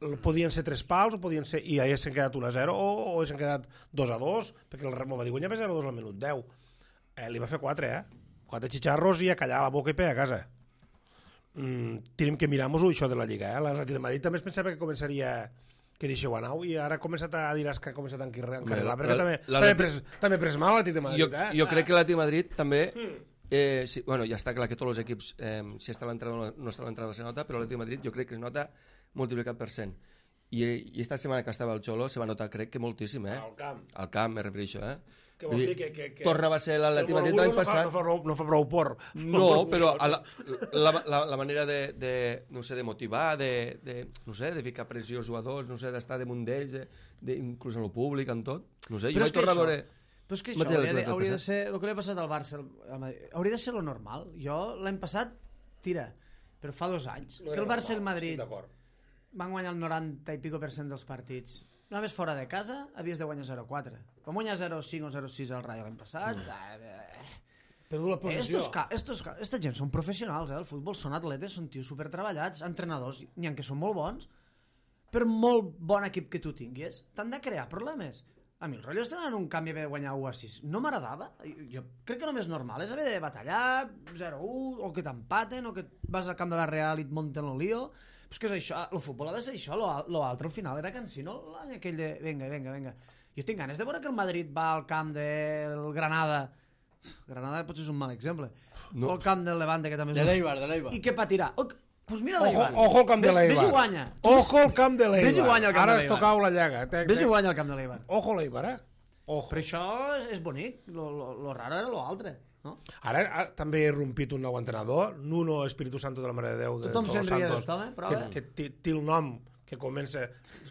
eh, podien ser tres pals o podien ser, i ahir s'han quedat un a zero o, o s'han quedat dos a dos, perquè el Remo va dir guanyava zero a dos al minut deu. Eh, li va fer quatre, eh? Quatre xitxarros i a callar la boca i per a casa. Mm, tenim que mirar-nos-ho, això de la Lliga, eh? L'Atlètic de Madrid també es pensava que començaria que deixeu anar i ara ha començat a dir que ha començat a encarrilar, perquè la- també, la- també, ha pres, també ha pres mal l'Atlètic de Madrid, Jo, eh? jo crec que l'Atlètic de Madrid també... Eh, sí, bueno, ja està clar que tots els equips, eh, si està a l'entrada o no està a l'entrada se nota, però l'Atlètic de Madrid jo crec que es nota multiplicat per cent. I, i esta setmana que estava el Xolo se va notar, crec que moltíssim, eh? Al camp. Al camp, me refereixo, eh? Què vols dir? Que, que, que... Torna va ser l'Atlètic de Madrid El l'any Monobulo passat. No fa, no, fa prou, no fa prou por. No, però a la, la, la, la manera de, de, no sé, de motivar, de, de, no sé, de ficar pressió als jugadors, no sé, d'estar damunt d'ells, de, de, inclús a lo públic, amb tot. No sé, jo Però vaig és que tornar a això- veure... Però és que Vaig això dir hauria de, l'altre hauria de passat. ser el que li ha passat al Barça al Madrid, hauria de ser lo normal. Jo l'any passat, tira, però fa dos anys, No que el era Barça i el normal, Madrid estic d'acord. van guanyar el noranta i pico per cent dels partits. Només fora de casa havies de guanyar zero a quatre. Vam guanyar zero a cinc o zero a sis al Rayo l'any passat. Mm. Perdut la possessió. Estos, ca- estos, ca- esta gent són professionals, eh, del futbol, són atletes, són tios supertreballats, entrenadors, n'hi ha que són molt bons, per molt bon equip que tu tinguis, t'han de crear problemes. A mi el rotllo està en un canvi de guanyar u a sis. No m'agradava. Jo, jo crec que el més normal és haver de batallar zero a u, o que t'empaten, o que vas al camp de la Real i et munten el lío. Però és que és això, el futbol ha de ser això, lo, lo altre al final era cansino, l'any aquell de venga, venga, venga. Jo tinc ganes de veure que el Madrid va al camp del Granada. Granada potser és un mal exemple. No. O al camp del Levante, que també és De un- l'Eibar, de l'Eibar. I què patirà? Oh, pues mira Ojo, l'Eibar. ojo al camp de Ves- l'Eibar. Ves i guanya. Ojo al camp de l'Eibar. Ves i guanya al camp Ara de has l'Eibar. tocat la llaga. Te- Ves i te- guanya al camp de l'Eibar. Ojo a l'Eibar, eh? Ojo. Però això és, és bonic. Lo, lo, lo raro era lo altre. No? Ara, ara també he rompit un nou entrenador, Nuno Espíritu Santo de la Mare de Déu de Tothom Todos se'n ria Santos, d'ell, home, però que, bé. que té, té el nom que comença,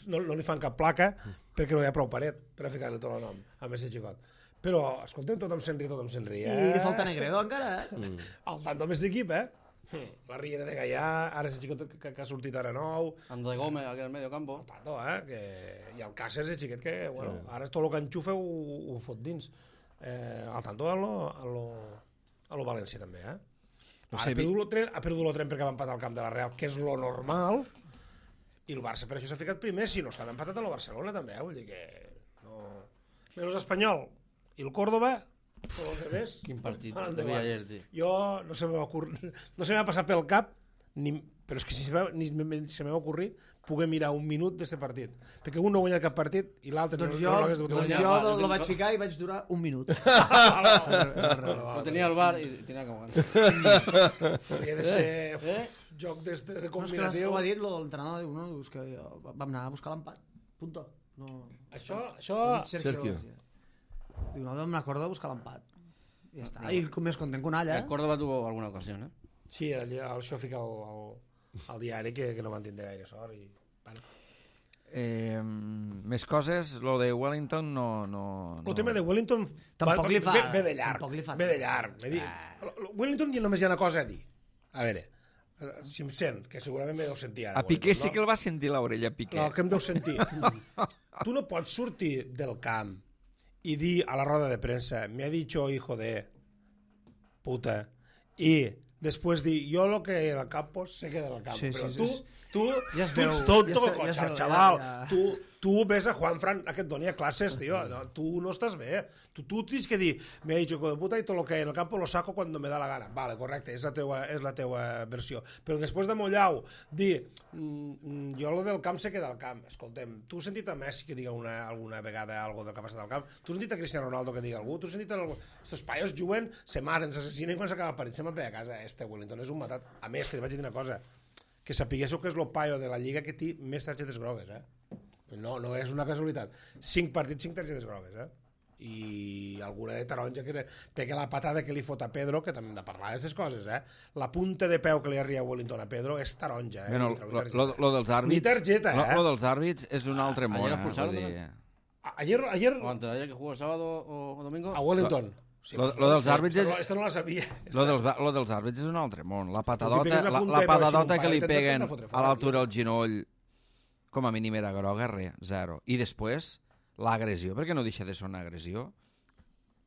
no, no li fan cap placa perquè no hi ha prou paret per a ficar-li tot el nom a més xicot. Però, escoltem, tothom se'n ria, tothom se'n ria. I li falta Negredo encara. Eh? Mm. El tanto més d'equip, eh? La Riera de Gaià, ara és xicot que, que ha sortit ara nou, Ando de Gómez, aquí al medio campo. tanto, eh? Que... I el Cáceres és xiquet que, bueno, ara tot el que enxufa ho, ho fot dins. Eh, al tanto a lo, a lo, a lo València també, eh? No Ara sé, ha perdut el tren, ha perdut el tren perquè va empatar al camp de la Real, que és lo normal, i el Barça per això s'ha ficat primer, si no estava empatat a la Barcelona també, eh? Vull dir que... No... Menys Espanyol i el Córdoba, tot el que més... Quin partit, van el de endavant. ayer, tio. Jo no se m'ha ocurrit, no se m'ha passat pel cap, ni, però és que si se m'ha- ni se m'ha ocorrit poder mirar un minut d'aquest partit, perquè un no ha guanyat cap partit i l'altre Doncs no, jo, no l'hagués dut doncs guanyar. jo Va, lo, jo lo tinc- vaig ficar i vaig durar un minut. Lo tenía al bar y tenía que aguantar. Hauria de ser Eh? joc de, de No, és que combinatiu. ho ha dit lo- l'entrenador, diu, no, dius que jo- vam anar a buscar l'empat. Punto. No, Això, això... ho ha dit Sergio. García. Diu, no, vam anar a Córdoba a buscar l'empat. I ja està. I com més content que un alla, El eh? Córdoba tuvo alguna ocasión, ¿eh? Sí, el, el, això fica al, al, al diari que, que no van tindre gaire sort i Vale. Eh, més coses, lo de Wellington no... no, no. El tema de Wellington Tampoc va, li fa- ve, ve de llarg, tampoc li fa ve de tant. llarg. Ah. Dir, Wellington només hi ha una cosa a dir. A veure, si em sent, que segurament me deu sentir ara. A Piqué Wellington, sí que el va sentir l'orella, Piqué. No, que em deu sentir. Tu no pots sortir del camp i dir a la roda de premsa, me ha dicho hijo de puta, i després dir, jo lo que en el campo se queda en el campo. Sí, Però sí, tu, sí. tu, Ja es tu ets veu, tonto, ja se- ja se- chaval. ja- ja. Tu, tu ves a Juanfran a que et doni a classes, tio. No, tu no estàs bé. Tu, tu tens que dir, me ha dicho hijo de puta y todo lo que hay en el campo lo saco cuando me da la gana. Vale, correcte, és la teua, és la teua versió. Però després de Mollau, dir, mm, jo lo del camp se queda al camp. Escoltem, tu has sentit a Messi que diga una, alguna vegada algo del que ha passat al camp? Tu has sentit a Cristiano Ronaldo que diga algú? Tu has sentit a algú? Estos paios juguen, se maten, s'assassinen i quan s'acaba el partit se'n van a casa. Este Wellington és un matat. A més, te vaig dir una cosa, que sapiguéssiu que és el paio de la Lliga que té més targetes grogues, eh? No, no és una casualitat. Cinc partits, cinc targetes grogues, eh? I alguna de taronja, que era... perquè la patada que li fot a Pedro, que també hem de parlar d'aquestes coses, eh? La punta de peu que li arria Wellington a Pedro és taronja, eh? Bueno, Li treu lo, targeta. lo, lo dels àrbits... Ni targeta, lo, eh? lo dels àrbits és un altre món, ayer eh? expulsaron Vull dir, también. A- Ayer, ayer O antes de ayer que jugó el sábado o, o domingo. a Wellington. Sí, lo, pues lo no, dels àrbits esta és... no, esta no la sabia. Lo dels, lo dels àrbits és un altre món. La Tu patadota, pegues la la, punta la de peu així patadota amb un que li pal, peguen intenta fotre a fora, l'altura del genoll, com a mínim era groga, res, zero. I després, l'agressió, perquè no deixa de ser una agressió,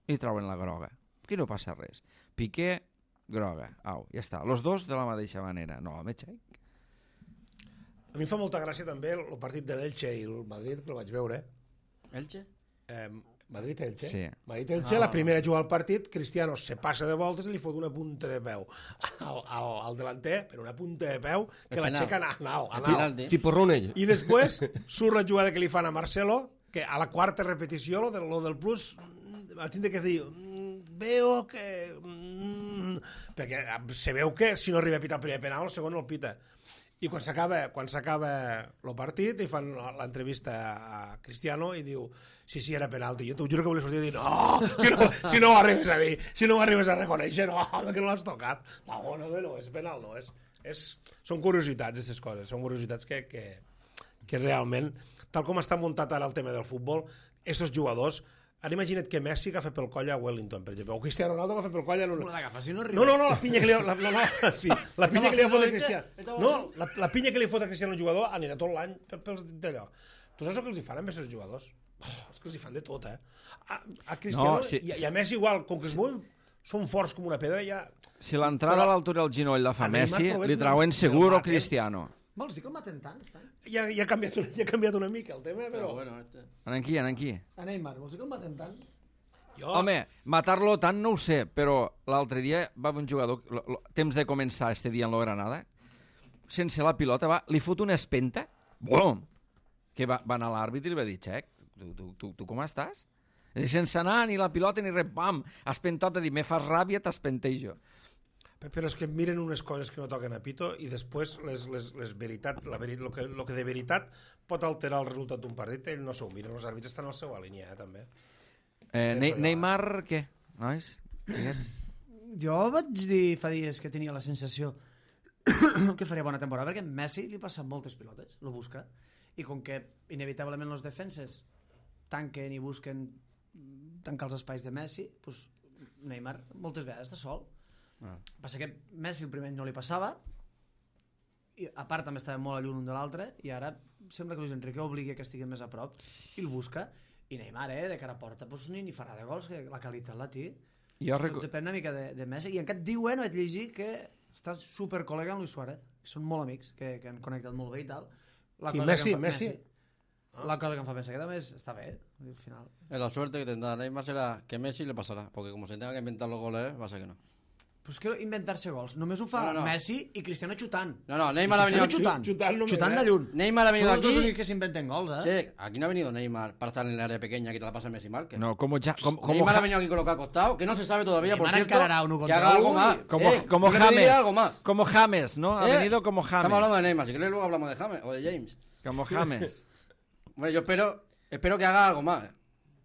i trauen la groga. Aquí no passa res. Piqué, groga. Au, ja està. Los dos de la mateixa manera. No, home, xec. A mi em fa molta gràcia també el partit de l'Elche i el Madrid, que el vaig veure. Elche. Eh, Madrid-Elche. Sí. Madrid-Elche, Ah. la primera jugada al partit, Cristiano se passa de voltes i li fot una punta de peu al, al, al delanter, però una punta de peu que El l'aixeca penal. a nau, a El nau. penalti. Tipo Runell. I després surt la jugada que li fan a Marcelo, que a la quarta repetició, lo del, lo del plus, mm, va tindre que dir, mm, veo que... Mm, perquè se veu que si no arriba a pitar el primer penal, el segon no el pita. I quan s'acaba quan s'acaba el partit i fan l'entrevista a Cristiano i diu, sí, sí, era penalti. Jo t'ho juro que volia sortir i dir, no, si no, si no ho arribes a dir, si no ho arribes a reconèixer, no, home, que no l'has tocat. No, no, no, és penal, no, és, és, són curiositats, aquestes coses, són curiositats que, que, que realment, tal com està muntat ara el tema del futbol, aquests jugadors, ara imagina't que Messi agafa pel coll a Wellington, per exemple, o Cristiano Ronaldo agafa pel coll a... No l'agafa, si no arriba. No, no, no, la pinya que li... La, no, no, sí, la pinya que li fot a Cristiano... No, la, la pinya que li fot a Cristiano al jugador anirà tot l'any per, pels d'allò. Tu saps el que els hi fan amb aquests jugadors? Oh, és que els hi fan de tot, eh? A, a Cristiano No, sí. i, i a Messi igual, com que es mouen, són forts com una pedra, ja... Si l'entrada a l'altura del genoll la fa a Neymar, Messi, però li no- trauen no segur el o maten. Cristiano. Vols dir que el maten tant, estan? Ja, ja, ha canviat, una- ja ha canviat una mica el tema, Pero però... bueno, este. Anem aquí, anem aquí. A Neymar, vols dir que el maten tant? Jo, Home, matar-lo tant no ho sé, però l'altre dia va haver un jugador, lo, lo, temps de començar este dia en la Granada, sense la pilota, va, li fot una espenta, bom, que va, va anar a l'àrbit i li va dir, xec, tu, tu, tu, tu com estàs? I sense anar ni la pilota ni res, pam, espentot a dir, me fas ràbia, t'espentejo. però és que miren unes coses que no toquen a pito i després les, les, les veritat, la veri, lo, que, lo que de veritat pot alterar el resultat d'un partit, ells no s'ho miren, els àrbits estan al seu línia, eh, també. Eh, Penso ne jo, Neymar, què, nois? Digues. Jo vaig dir fa dies que tenia la sensació que faria bona temporada, perquè Messi li passa moltes pilotes, lo busca, i com que inevitablement els defenses tanquen i busquen tancar els espais de Messi, pues Neymar moltes vegades està sol. Ah. Passa que Messi el primer any no li passava, i a part també estava molt a lluny un de l'altre, i ara sembla que Luis Enrique obligui que estiguin més a prop i el busca, i Neymar, eh, de cara a porta, pues, ni, ni farà de gols, que la qualitat la té. Jo Tot recu... depèn una mica de, de Messi, i encara diuen, vaig llegir, que està super col·lega amb Luis Suárez, que són molt amics, que, que han connectat molt bé i tal. La Qui, cosa Messi? que em fa, Messi? La cosa que em fa pensar que també és, està bé, al final. La suerte que tendrá Neymar será que Messi le pasará, porque como se tenga que inventar los goles, va a ser que no. Però és que inventar-se gols, només ho fa No, no, no. Messi i Cristiano xutant. No, no, Neymar ha venido Cristiano aquí. xutant, xutant només, xutant eh? de lluny. Neymar ha venido Són els dos aquí. únics que s'inventen gols, eh? Sí, aquí no ha venido Neymar para estar en el área pequeña que te la pasa Messi Márquez. No, como, ja, com, como, Neymar ha Ja- venido aquí colocado acostado, que no se sabe todavía, por Neymar cierto, encarará uno que contra haga algo uno más. y- como, Eh, como yo le pediría James. algo más. Como James, ¿no? Ha Eh, venido como James. Estamos hablando de Neymar, si queréis luego hablamos de James o de James. Como James. Bueno, yo espero, espero que haga algo más.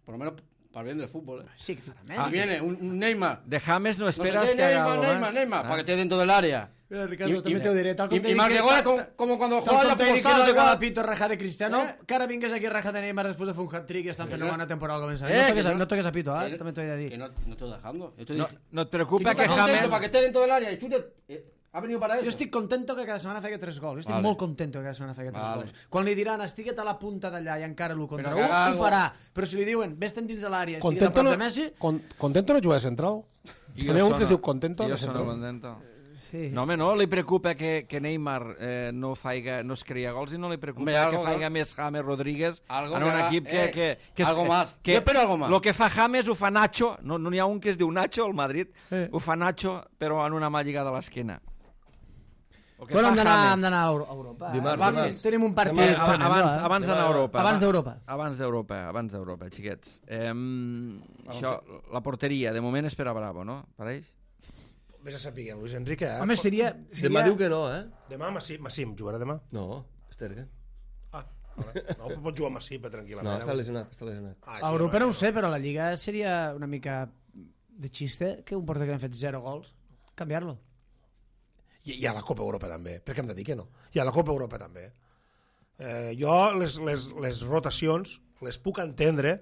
Por lo menos para el bien del fútbol, ¿eh? Sí, que farà Si més. viene un, un Neymar, De James no no sé esperas qué, que haga Neymar, algo Neymar, más. Neymar, Ah. para que esté dentro del área. Eh, Ricardo, I- també i- t'ho diré, tal com i- t'he i dit marque que- goles tal- com- como cuando Tal juega com la t'he dit que Fosal no de tocava gol. pito raja de Cristiano, Eh? que ara vingués aquí raja de Neymar després de fer un hat-trick i estan fent una bona temporada al començament. Eh, No que toques a- no- no toques a pito, eh? que- També t'ho he de Que dir. no, no estoy dejando. Yo estoy No, diciendo- no et Si preocupa tú que estás contento James... para que esté dentro del área y chute, eh, ha venido para eso. Jo estic contento que cada setmana faci tres gols. Jo estic Vale. molt contento que cada setmana faci tres Vale. gols. Quan li diran estiguet a la punta d'allà i encara l'u contra Però u, que haga ho algo. farà. Però si li diuen vés-te'n dins de l'àrea, estiguet a Contento prop no, de Messi... con, contento no juga de central? Jo Teniu un sono- que es diu Contento? Jo de sono central? contento. Sí. No, home, no li preocupa que, que Neymar eh, no, faiga, no es crea gols i no li preocupa Hombre, algo, que faiga algo. més James Rodríguez Algo en que un haga, equip que... eh, que, que algo que, más. Que, Jo espero algo más. Lo que fa James ho fa Nacho, no n'hi no ha un que es diu Nacho al Madrid, Eh. ho fa Nacho però en una mà lligada a l'esquena. El que Bueno, fa hem d'anar James- hem d'anar a Euro- a Europa. eh? Dimarts, Va, dimarts. Tenim un partit. Home, pendent, abans, eh? abans d'anar a Europa. Abans va- d'Europa. Abans d'Europa, abans d'Europa, xiquets. Eh, això, la porteria, de moment és per a Bravo, no? Pareix? Vés a saber, Luis Enrique, eh? Home, seria... seria... Demà diu que no, eh? Demà Massim, Massim jugarà demà? No, Esterga. Ah, vale. No, però pot jugar Massim, tranquil·lament. No, eh? està lesionat, està lesionat. Ah, A Europa no ho sé, però a la Lliga seria una mica de xiste que un porter que han fet zero gols, canviar-lo. I, I a la Copa Europa també, perquè hem de dir que no. I a la Copa Europa també. Eh, jo les, les, les rotacions les puc entendre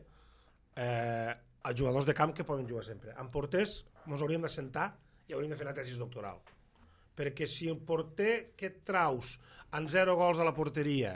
eh, als jugadors de camp que poden jugar sempre. En porters ens hauríem de sentar i hauríem de fer una tesis doctoral. Perquè si el porter que et traus en zero gols a la porteria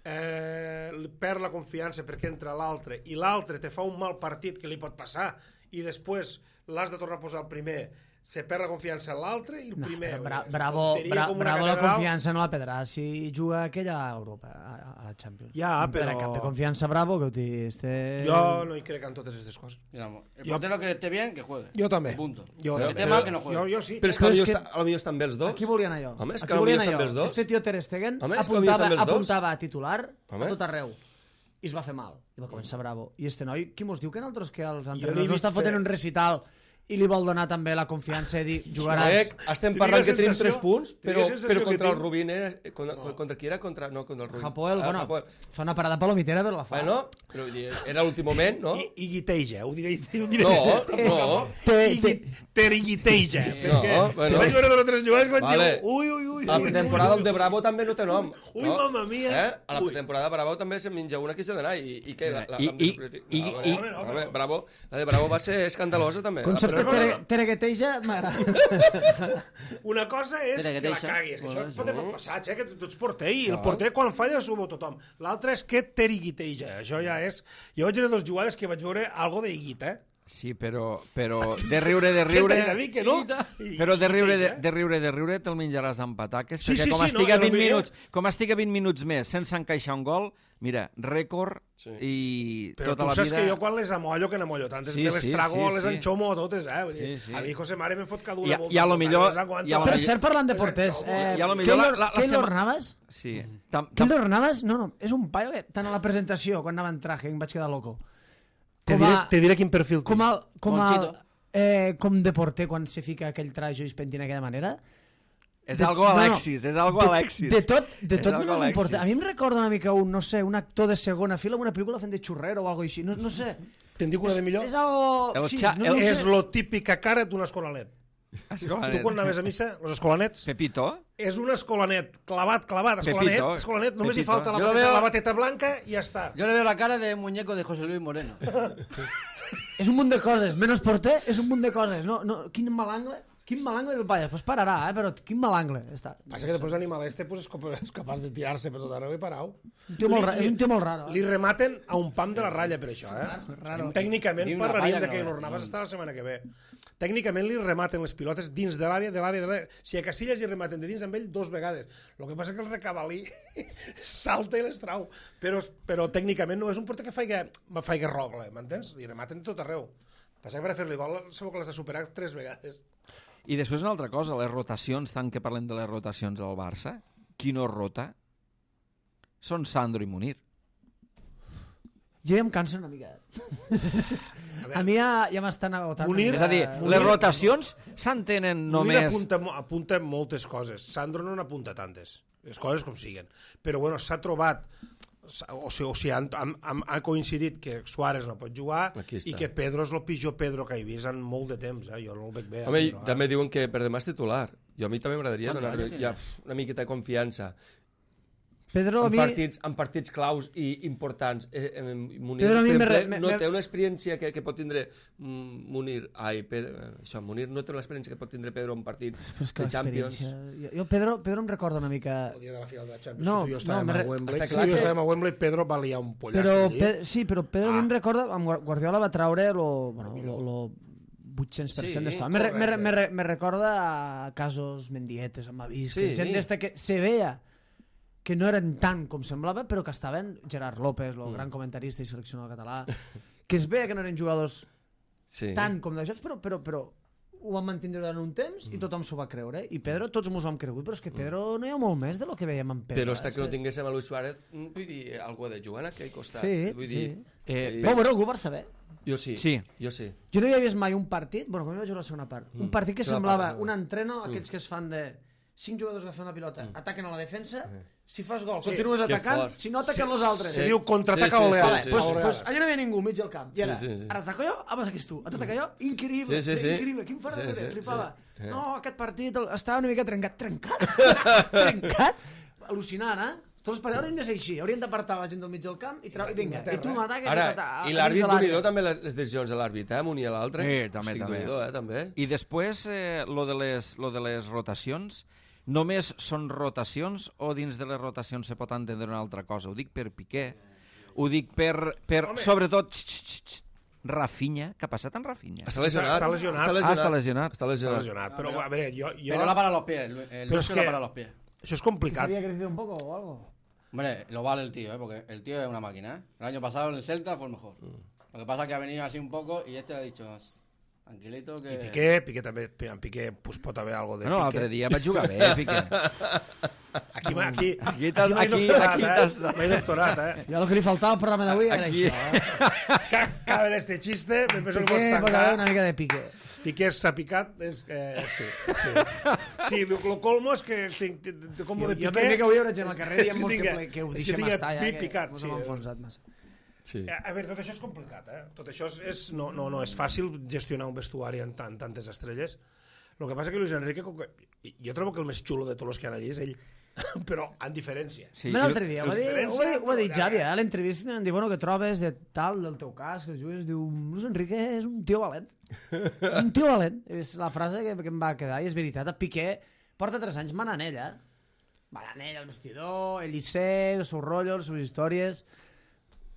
eh, perd la confiança perquè entra l'altre i l'altre te fa un mal partit que li pot passar i després l'has de tornar a posar el primer, se perd la confiança en l'altre i el No, primer... però bra és bravo, tonteria bra com una bravo la catedral. confiança no la perdrà si juga aquella a Europa, a, a la Champions. Ja, No perdrà però- cap de confiança Bravo, que ho té... Este... Jo no hi crec en totes aquestes coses. Digamos, el Yo- portero que esté bien, que juegue. Jo també. Punto. Jo, Pero també. que esté mal, que no juegue. Jo, jo sí. Però és que Però potser és que- està, a lo millor estan bé els dos. Aquí volia anar jo. Home, és que Aquí potser volia anar estan jo. bé els dos. Este tio Ter Stegen Home, és que potser apuntava, estan bé els dos. apuntava a titular Home. a tot arreu. I es va fer mal. I va començar Bravo. I este noi, qui mos diu que nosaltres que els l'he entrenadors no vist estan fotent fer- un recital i li vol donar també la confiança de dir jugaràs... Eh, estem Tinc parlant la que tenim sensació- tres punts, tinc la però, sensació però que contra el tinc- Rubín era... Contra, no. contra qui era? Contra, no, contra el Rubín. Hapoel, Ah, bueno, Hapoel. fa una parada palomitera però la fa. Bueno, però vull dir, era l'últim moment, no? I, i guiteja, ho diré, ho diré. No, no. Te, I te, gui- ter i guiteja. No, bueno. Vaig veure dos o tres jugades que vaig Vale. dir, ui, ui, ui. A la ui, pretemporada ui, el de Bravo també no té nom. Ui, no? mamma mia. Eh? A la Ui. pretemporada Bravo també se menja una que s'ha d'anar. I, i què? La, la, I- la, i- la, i- no, i- home, home, Bravo, la de Bravo va ser escandalosa també. concepte però- tere- teregueteja m'agrada. Una cosa és Espera, que que la deixa. caguis, que això Bueno, pot, pot passar, eh, que tu, tu ets porter i el porter quan falla s'ho veu tothom. L'altre és que teriguiteja, això ja és... Jo vaig veure dos jugades que vaig veure algo de guita, eh? Sí, però, però de riure, de Què riure... t'he de dir que no? I- Però de riure, de, guiteja. de riure, de riure te'l menjaràs amb pataques, Sí, perquè sí, com sí, no, estigui a ja no vint veia. minuts, com estigui a vint minuts més sense encaixar un gol, mira, rècord Sí. i Però tota tu la saps vida... que jo quan les amollo, que n'amollo tantes, Sí, me les sí, trago, sí, les sí. enxomo totes, eh? Vull dir, Sí, sí. A mi José Mare me'n fot cada una I a- volta, i a lo totes, millor- les aguanto. i a lo Per millor- cert, parlant de Les porters, enxomo. eh, I a lo millor la- Keylor, la- la Keylor sema- Navas... Sí. Tam, tam, Keylor Navas, no, no, és un paio que tant a la presentació, quan anava en traje, em vaig quedar loco. Te Com diré, a, te diré quin perfil com, a, com, a, Monchito. eh, com de porter quan se fica aquell trajo i es pentina d'aquella manera. és De- algo no, no, Alexis, és algo de, Alexis. De tot, de És tot algo menys un Alexis. porter. A mi em recorda una mica un, no sé, un actor de segona fila en una pel·lícula fent de xurrero o algo així. No, no sé. Te'n dic una de millor? És algo... El sí, xa- no, el- no És sé. lo típica cara d'un escolanet. Escolanet. Tu quan anaves a missa, els escolanets, Pepito? és un escolanet, clavat, clavat, escolanet, Pepito. escolanet, només Pepito. li falta la Jo lo bateta, veo- la bateta blanca i ja està. Yo le veo la cara de muñeco de José Luis Moreno. És un munt de coses. Menys porter, és un munt de coses. No, no, quin mal angle. Quin mal angle del paia. Després pararà, eh? Però quin mal angle. Està. Passa que després l'animal este pues, és cop- és capaç de tirar-se per tot arreu i parau. Un tio molt ra- és un tio molt raro. Li Eh? rematen a un pam de la ratlla per això, eh? Raro. Tècnicament Ni una parlaríem falla de que que no- Navas està la setmana que ve. Tècnicament li rematen les pilotes dins de l'àrea, de l'àrea, de l'àrea. Si a Casillas li rematen de dins amb ell dos vegades. El que passa que el recabalí salta i les trau. Però, però tècnicament no és un porter que faiga, faiga rogle, m'entens? Li rematen de tot arreu. Passa que per a fer-li gol segur que l'has de superar tres vegades. I després una altra cosa, les rotacions, tant que parlem de les rotacions al Barça, qui no rota són Sandro i Munir. Jo ja em canso una mica. A mi ja, ja m'estan agotant. Munir- És a dir, Munir- les rotacions s'entenen Només... només... apunta, mo- apunta moltes coses. Sandro no n'apunta tantes. Les coses com siguen. Però bueno, s'ha trobat o sigui, o sigui han, han, han, han coincidit que Suárez no pot jugar i que Pedro és el pitjor Pedro que he vist en molt de temps, eh? Jo no el veig bé. Home, Pedro, també eh? diuen que per demà és titular. Jo a mi també m'agradaria donar-li ja, una miqueta de confiança. Pedro, a en, mi... partits, en partits claus i importants. Eh, eh, Munir, Pedro, a mi per me, exemple, me, no me... té una experiència que, que pot tindre mm, Munir, ai, Pedro, això, Munir no té l'experiència que pot tindre Pedro en partit de Champions. Jo, jo Pedro, Pedro em recorda una mica... El dia de la final de la Champions, No, que tu i jo no, estàvem me a re- Wembley. Està Sí, clar jo que- estàvem a Wembley, Pedro va liar un pollasso Però, allí. Pe... Sí, però Pedro a mi Ah. em recorda... Amb Guar- Guardiola va traure lo, bueno, lo, lo vuit-cents per cent Sí, d'estona. Me, re- me, re- correcte. me, re- me recorda a casos Mendietes, amb Avís, Sí. que gent d'esta que se veia que no eren tant com semblava, però que estaven Gerard López, el Mm. gran comentarista i seleccionador català, que es veia que no eren jugadors Sí. tant com de jocs, però, però, però ho van mantindre durant un temps i tothom s'ho va creure. I Pedro, tots mos ho hem cregut, però és que Pedro no hi ha molt més de lo que veiem en Pedro. Però eh? està que És no tinguéssim a Luis Suárez, mm, vull dir, algú ha de jugar en aquell costat. Sí, vull sí. dir, Eh, Però bueno, algú ho va saber. jo sí, Sí. jo sí. Jo no havia vist mai un partit, bueno, com hi vaig jugar la segona part, un partit que Segona semblava part, no. un entreno, aquells que es fan de cinc jugadors agafen la pilota, ataquen a la defensa, si fas gol, Sí, continues que atacant, fort. si no ataquen els altres. Se diu contraataca Sí, sí, oleada. sí, sí, Pues, sí. pues allà no hi havia ningú, mig del camp. I ara, Sí, sí, sí. ara ataco jo, ah, vas aquí tu. Ataca jo, increïble, Sí, sí, sí. increïble. Quin fora Sí, de sí, flipava. sí. No, aquest partit el- estava una mica trencat. Trencat? trencat? Al·lucinant, eh? Tots els partits haurien de ser així. Haurien d'apartar la gent del mig del camp i trau... Vinga, i tu m'ataques Ara, i t'ata- i a l'àrbit dins de l'àrea. Unidor també, les, les decisions de l'àrbit, eh? Un i l'altre. Sí, també, Hosti, també. Déu-n'hi-do, eh? També. I després, eh, lo, de les, lo de les rotacions, només són rotacions o dins de les rotacions se pot entendre una altra cosa? Ho dic per Piqué, ho dic per, per sobretot, x, x, x, Rafinha. Què ha passat amb Rafinha? Està lesionat. Està lesionat. Ah, està lesionat. Està Està lesionat. lesionat. Però, a veure, jo... jo... Pero la para los pies, el, el Pero Lucho es la que- para los pies. Això és ¿Se complicat. había crecido un poco o algo? Hombre, lo vale el tío, ¿eh? Porque el tío es una máquina, ¿eh? El año pasado en el Celta fue el mejor. Lo que pasa es que ha venido así un poco y este ha dicho, tranquilito que... I Piqué, Piqué també, en Piqué pues, pot haver algo de Bueno, l'altre Piqué. dia vaig jugar bé, Piqué. Aquí, m'ha- aquí, Aquí aquí, t'has- m'he aquí- doctorat, aquí eh? t'has- M'he doctorat, eh? Ja el que li faltava al programa d'avui era Aquí. això, eh? Ca- Cada d'este xiste, me penso que Piqué, pots pot haver una tancar. mica de Piqué. Piqué s'ha picat, és, eh, sí, sí. Sí, lo, lo colmo és que tinc, tinc com Jo, de jo Piqué... per mi que avui hi haurà gent al carrer és dient molts que, tinga- ple- que ho és deixem tinga estar ja, pi que picat, mos sí. hem enfonsat massa. Sí. Eh, A veure, tot això és complicat, eh? Tot això és, és, no, no, no és fàcil gestionar un vestuari amb tan, tantes estrelles. El que passa que Luis Enrique, com que, jo trobo que el més xulo de tots els que han allí és ell, però en diferència. Sí, Sí, L'altre dia, ho va dir, ho va dir, ho va dir però ja- Xavi, eh, a l'entrevista, em diu, bueno, que trobes de tal, del teu cas, que jugues, diu, Luis Enrique és un tio valent. És un tio valent. És la frase que, que em va quedar, i és veritat. A Piqué porta tres anys manant ell, eh? Manant ell al vestidor, ell hi sé, els seus rotllos, les seves històries...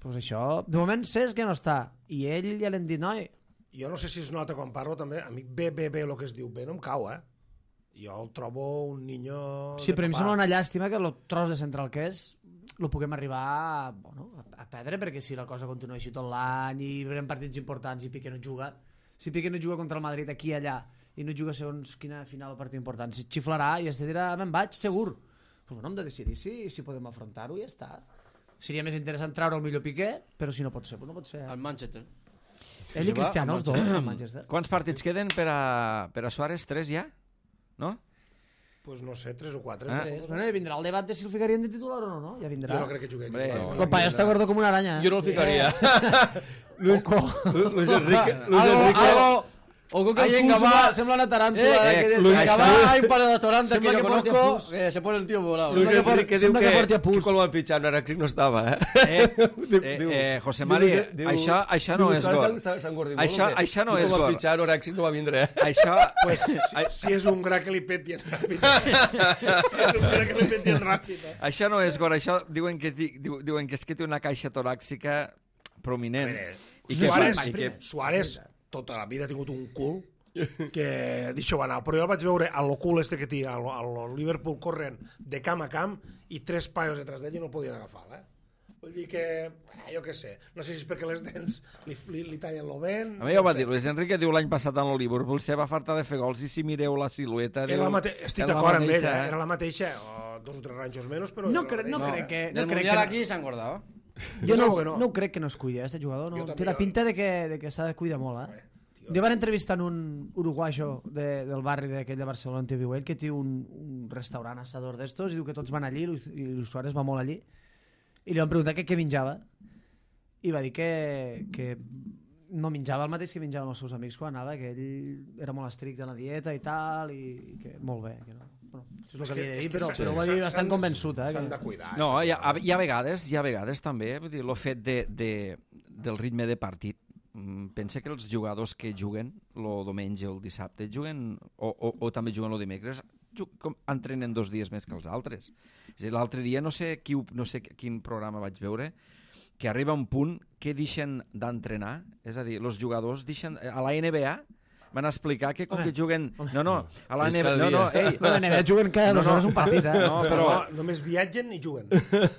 Pues això, de moment saps que no està. I ell ja l'hem dit, noi, Jo no sé si es nota quan parlo també, a mi bé, bé, bé, el que es diu bé no em cau, eh? Jo el trobo un niño sí, de però a mi em papà. sembla una llàstima que el tros de central que és lo puguem arribar a, bueno, a, a perdre, perquè si la cosa continua així tot l'any i veurem partits importants i Piqué no juga, si Piqué no juga contra el Madrid aquí i allà i no juga segons quina final o partit important, si xiflarà i es dirà, me'n vaig, segur. Però bueno, hem de decidir si, si podem afrontar-ho i ja està. Seria més interessant treure el millor Piqué, però si no pot ser, doncs no pot ser. Al Manchester. Ell i Cristiano, els dos, al Manchester. Quants partits queden per a, per a Suárez? Tres ja? No? Pues no sé, tres o quatre. Ah. Tres. Bueno, i vindrà el debat de si el ficarien de titular o no, no? Ja vindrà. Jo no crec que jugui. Hombre, No, El paio està gordo com una aranya. Jo no el ficaria. Luis, Oco. Luis Enrique... Luis Algo, Enrique... algo... O que Ahí el en cul Gavà sembla, sembla una taràntula. Eh, que eh, des Luis de Gavà Gavà hay un par de restaurantes que Sembla yo que porti conozco, pus. que se pone el tío volado. Luis Sembla que Enrique por- diu sembla que, que porti a que pus. quan ho van fitxar no era no estava, eh? Eh, Diu- eh, diu- eh, José diu- María, diu- això, això no diu, és "S'ha- gol. s'ha- s'ha engordit Això, molt, això no I és quan van gol. fitxar Orèxic no va vindre, eh? Això, Pues, si, si és un gra que li peti en ràpid. és un gra que li peti en ràpid. Eh? això no és gol. Això diuen que, ti- diu- diuen que és que té una caixa toràxica prominent. Mire, I que, Suárez, i que, Suárez tota la vida ha tingut un cul que deixa-ho anar, però jo el vaig veure a lo cul este que té al, al Liverpool corrent de camp a camp i tres paios detrás d'ell i no el podien agafar, eh? Vull dir que, eh, jo què sé, no sé si és perquè les dents li, li, li tallen lo vent... a mi ja ho va dir, Luis Enrique diu l'any passat en el Liverpool se va fartar de fer gols i si mireu la silueta... Era diu, la mate... Estic era la d'acord amb ella, mateixa, eh? Era la mateixa, o dos o tres ranxos menys, però... No, era la cre no mateixa. crec que... Del No crec Mundial que aquí se ha engordado. jo no, trobo que no. no ho crec que no es cuidi, eh, este jugador. Jo No? també, Té una jo- pinta de que, de que s'ha de cuidar molt, eh? Jo van entrevistar un uruguayo de, del barri d'aquell de Barcelona on viu ell, que té un, un restaurant assador d'estos i diu que tots van allí i Luis Suárez va molt allí i li van preguntar que què menjava i va dir que, que no menjava el mateix que menjaven els seus amics quan anava, que ell era molt estricte en la dieta i tal, i, i que molt bé, que no. Bueno, això és el que havia de dir, però, però ho va dir bastant convençut. Eh, S'han que... de cuidar. No, hi ha, hi ha vegades, hi ha vegades també, vull dir, el fet de, de, del ritme de partit. Pensa que els jugadors que juguen el diumenge o el dissabte juguen, o, o, o també juguen el dimecres, com, entrenen dos dies més que els altres. És a dir, l'altre dia no sé, qui, no sé quin programa vaig veure, que arriba un punt que deixen d'entrenar, és a dir, els jugadors deixen, a la N B A van explicar que com home, que juguen... No, no, a la És N B A... cada No, no, dia. ei, La N B A juguen cada dues hores un partit, eh? no, però No, només viatgen i juguen.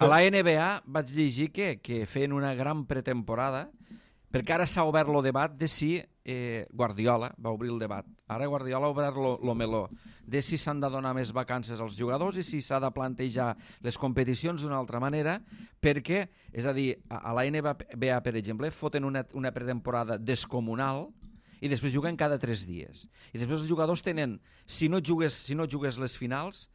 a la N B A vaig llegir que, que feien una gran pretemporada, perquè ara s'ha obert el debat de si eh, Guardiola va obrir el debat. Ara Guardiola ha obert el meló de si s'han de donar més vacances als jugadors i si s'ha de plantejar les competicions d'una altra manera, perquè, és a dir, a, a la N B A, per exemple, foten una, una pretemporada descomunal i després juguen cada tres dies. I després els jugadors tenen, si no jugues, si no jugues les finals,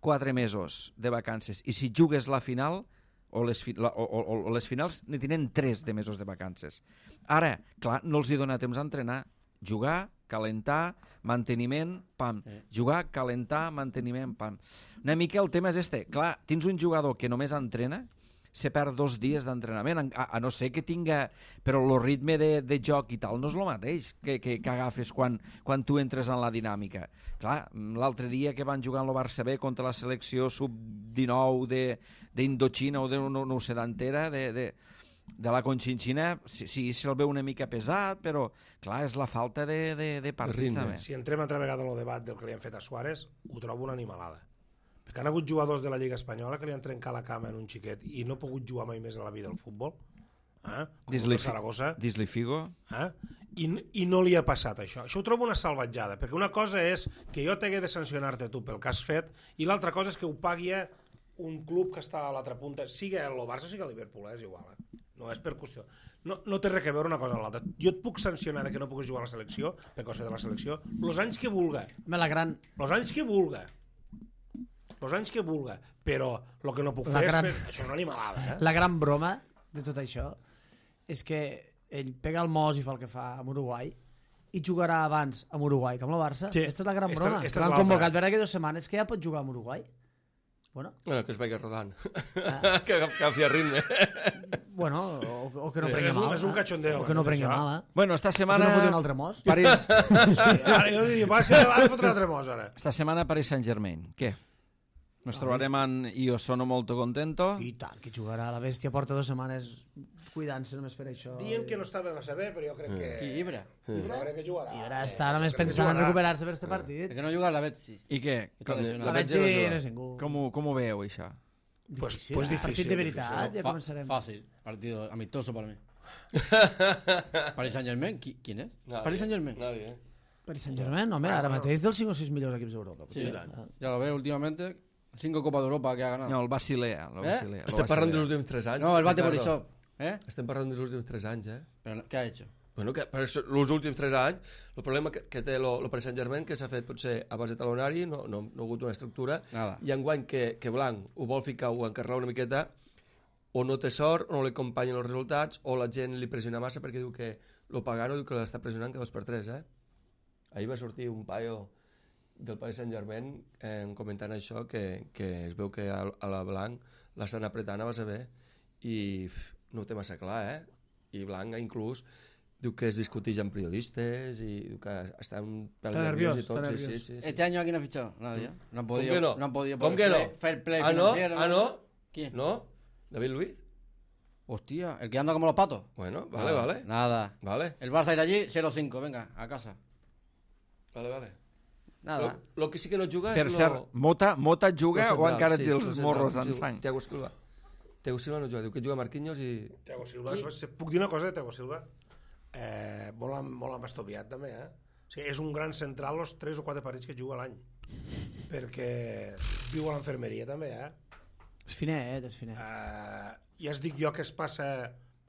quatre mesos de vacances. I si jugues la final, o les, fi, la, o, o, o les finals, ne tenen tres de mesos de vacances. Ara, clar, no els hi dona temps a entrenar. Jugar, calentar, manteniment, pam. Jugar, calentar, manteniment, pam. Una mica el tema és este. Clar, tens un jugador que només entrena, se perd dos dies d'entrenament, a, a no ser que tinga... Però el ritme de, de joc i tal no és el mateix que, que, que agafes quan, quan tu entres en la dinàmica. Clar, l'altre dia que van jugar en el Barça B contra la selecció sub dinou d'Indochina o de, no, no ho sé, d'entera, de, de, de la Conchinchina, sí, sí, se'l veu una mica pesat, però clar, és la falta de, de, de partits. Si entrem altra vegada en el debat del que li han fet a Suárez, ho trobo una animalada. Perquè han hagut jugadors de la Lliga Espanyola que li han trencat la cama en un xiquet i no ha pogut jugar mai més a la vida al futbol, eh? com el Saragossa, Dis-li Figo. eh? I, i no li ha passat això. Això ho trobo una salvatjada, perquè una cosa és que jo t'hagué de sancionar-te tu pel que has fet i l'altra cosa és que ho pagui un club que està a l'altra punta, sigui el Barça o sigui el Liverpool, eh? És igual, eh? No és per qüestió. No, no té res a veure una cosa amb l'altra. Jo et puc sancionar de que no puguis jugar a la selecció, per cosa de la selecció, els anys que vulga. La gran... Els anys que vulga. Els anys que vulga. Però el que no puc La fer gran- és fer... Això és una animalada, eh? La gran broma de tot això és que ell pega el mos i fa el que fa amb Uruguai i jugarà abans amb Uruguai que amb el Barça. Sí. Aquesta és la gran Esta- broma. esta és L'han l'altra. convocat per aquí dues setmanes que ja pot jugar amb Uruguai. Bueno, Bueno, que es vagi rodant. Ah. que agafi a ritme. bueno o, o que no Sí, prengui és un- mal. és un eh? cachondeo, O que no tot prengui això. mal, eh? Bueno, esta O que setmana... no foti un altre mos. París... Sí, ara jo dic, va ser l'any fotre l'altre mos, ara. Esta setmana Paris Saint-Germain. Què? Nos trobarem en Io sono molto contento. I tant, que jugarà la bèstia porta dues setmanes cuidant-se només per això. Dient que no estava massa bé, però jo crec que... Qui, Ibra? Jo crec que jugarà. I ara està només pensant en recuperar-se per este partit. El que no juga la Betsi. I què? Està lesionat. La Betge Betge no no juga. és ningú. Com ho, com ho veieu, això? Pues, Difícil, pues eh? difícil. Partit de veritat, difícil. ja Fa- començarem. Fácil. Partido amistoso para mí. Paris Saint-Germain, qui- ¿quién es? Nadie. Paris Saint-Germain. Nadie, eh? Paris Saint-Germain, home, ara mateix dels cinc o sis millors equips d'Europa. Sí, potser. ya lo veo últimamente. Cinco Copas de Europa que ha ganado. No, el Basilea. El Eh? Basilea, el Estem parlant Basilea. dels últims tres anys. No, el Bate Ricardo. Borisov. ¿Eh? Estem parlant dels últims tres anys, eh? Pero, ¿qué ha hecho? Bueno, que per això, els últims tres anys, el problema que, que té el Paris Saint-Germain, que s'ha fet potser a base de talonari, no, no, no ha hagut una estructura, Nada. i enguany que, que Blanc ho vol ficar o encarregar una miqueta, o no té sort, o no li acompanyen els resultats, o la gent li pressiona massa perquè diu que lo Pagano diu que l'està pressionant cada dos per tres, eh? Ahir va sortir un paio del Paris Saint-Germain eh, comentant això, que, que es veu que a, a la Blanc l'estan apretant a base bé i pff, no ho té massa clar, eh? I Blanc inclús diu que es discuteix amb periodistes i diu que està un pèl Està nerviós nerviós, i tot. està Sí, sí, nerviós. sí, sí. Este año aquí no ha fichado nadie. ¿eh? No han ¿Cómo podido, que no? no han podido ¿Cómo por el que play- no? fair play Ah, no? financiero. Ah, no? ¿Quién? ¿No? ¿David Luiz? Hostia, el que anda como los patos. Bueno, vale, Nada, vale. Nada. Vale, El Barça ir allí, cero cinco, venga, a casa. vale, vale. Nada. Lo, lo que sí que no juga Per és cert, lo... Mota, Mota juga lo o central, encara sí, té lo els central, morros sí, en sang? Thiago Silva. Thiago Silva no juga, diu que juga Marquinhos i... Thiago Silva, I... puc dir una cosa de Thiago Silva? Eh, molt, amb, molt embastoviat també, eh? O sigui, és un gran central els tres o quatre partits que juga a l'any, perquè viu a l'enfermeria també, eh? És finet, és finet. Eh, ja es dic jo que es passa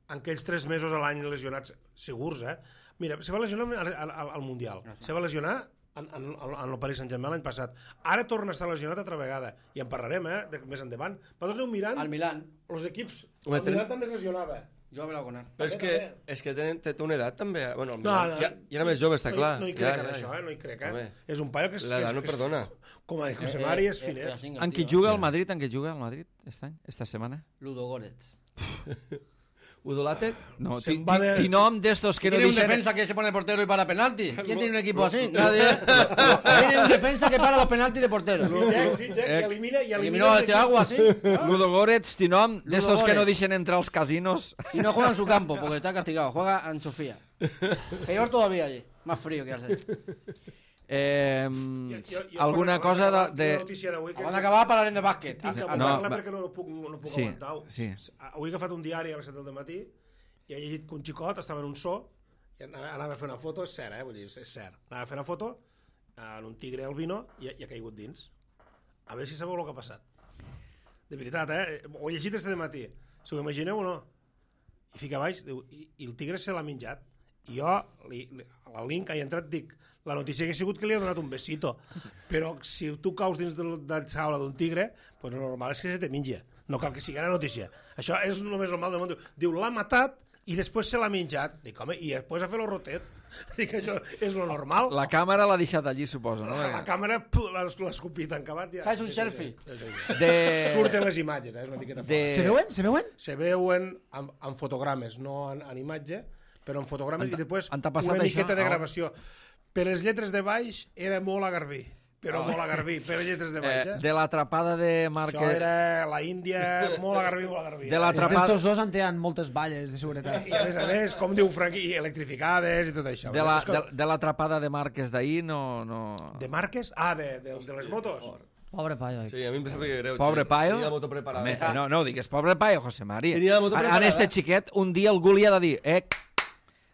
en aquells tres mesos a l'any lesionats segurs, eh? Mira, se va lesionar al, al, al Mundial, se va lesionar en, en, en el Paris Saint-Germain l'any passat. Ara torna a estar lesionat altra vegada, i en parlarem, eh, de, més endavant. Vosaltres aneu mirant Al Milan. els equips. Home, El ten- Milan també es lesionava. Jo me la con él. Però és També, que, també. és que té, té, té una edat també. Bueno, el No, Milan, no, ja, ja era més jove, està no, clar. No hi ja, crec ja, en això, eh? No hi crec, eh? Home, És un paio que és... l'edat que és- no que és- perdona. Com a José Eh, Mari eh, és eh, finet. así, En qui tío. juga al Madrid? En qui juga al Madrid aquest any? Esta setmana? Ludo Goretz. Udo Lattek? No, Se'n ti, va ti, de- ti nom d'estos que no ¿Tiene un deixen... defensa que se pone portero y para penalti? ¿Quién tiene un equipo así? Nadie. Tiene un defensa que para los penaltis de portero. Jack, sí, Jack, Eh, i elimina... I Eliminó elimina a este agua así Ludo Goretz, ti nom d'estos que no Goretz. deixen entrar als casinos. y no juega en su campo porque está castigado. Juega en Sofía. Peor todavía allí. Más frío que hace. Eh, Jo- jo- jo alguna quan- cosa quan de... acaba- de... tinc una notícia d'avui que- Van a acabar para el de básquet. Tinc que no, apuntar-la va- perquè no, no puc, no puc Sí, aguantar-ho. sí. Avui he agafat un diari a les set del matí i he llegit que un xicot estava en un zoo i anava, anava a fer una foto, és cert, eh? Vull dir, és, és cert. Anava a fer una foto en un tigre albino i, i ha caigut dins. A veure si sabeu el que ha passat. De veritat, eh? Ho he llegit este matí. Si ho imagineu o no? I fica a baix, diu, i, i el tigre se l'ha menjat. I jo, li, li, al link, he entrat, dic, la notícia que ha sigut que li ha donat un besito. Però si tu caus dins de la jaula d'un tigre, pues el normal és que se te menja. No cal que sigui la notícia. Això és només normal del món. Diu, diu l'ha matat i després se l'ha menjat. Dic, home, i després ha fet el rotet. Dic, això és lo normal. La càmera l'ha deixat allí, suposo, no? La, la càmera pu, l'ha l'ha escopit en acabat. Ja. Fas un selfie. De... Surten les imatges, eh? És una miqueta De- fort. Se veuen? Se veuen? Se veuen en, en fotogrames, no en, en imatge, però en fotogrames Han- i després han t'ha passat una això? miqueta de Ah. gravació. Per les lletres de baix era molt a Garbí, però molt a Garbí, per les lletres de baix, Eh, eh? de l'atrapada de Això Márquez... era la Índia, molt a Garbí, molt a Garbí. De eh? l'atrapada- Estos dos en tenen moltes valles de seguretat. I a més a més, com diu Franqui, i electrificades i tot això. De la- És que- de, de l'atrapada de Márquez d'ahir no... no... de marques? Ah, de, de, de les motos. Pobre paio. Sí, a mi em sap greu. Pobre sí. paio. Tenia la moto preparada. Home, no, no ho digues, pobre paio, José María. Tenia la moto En, en preparada. este xiquet, un dia algú li ha de dir, eh,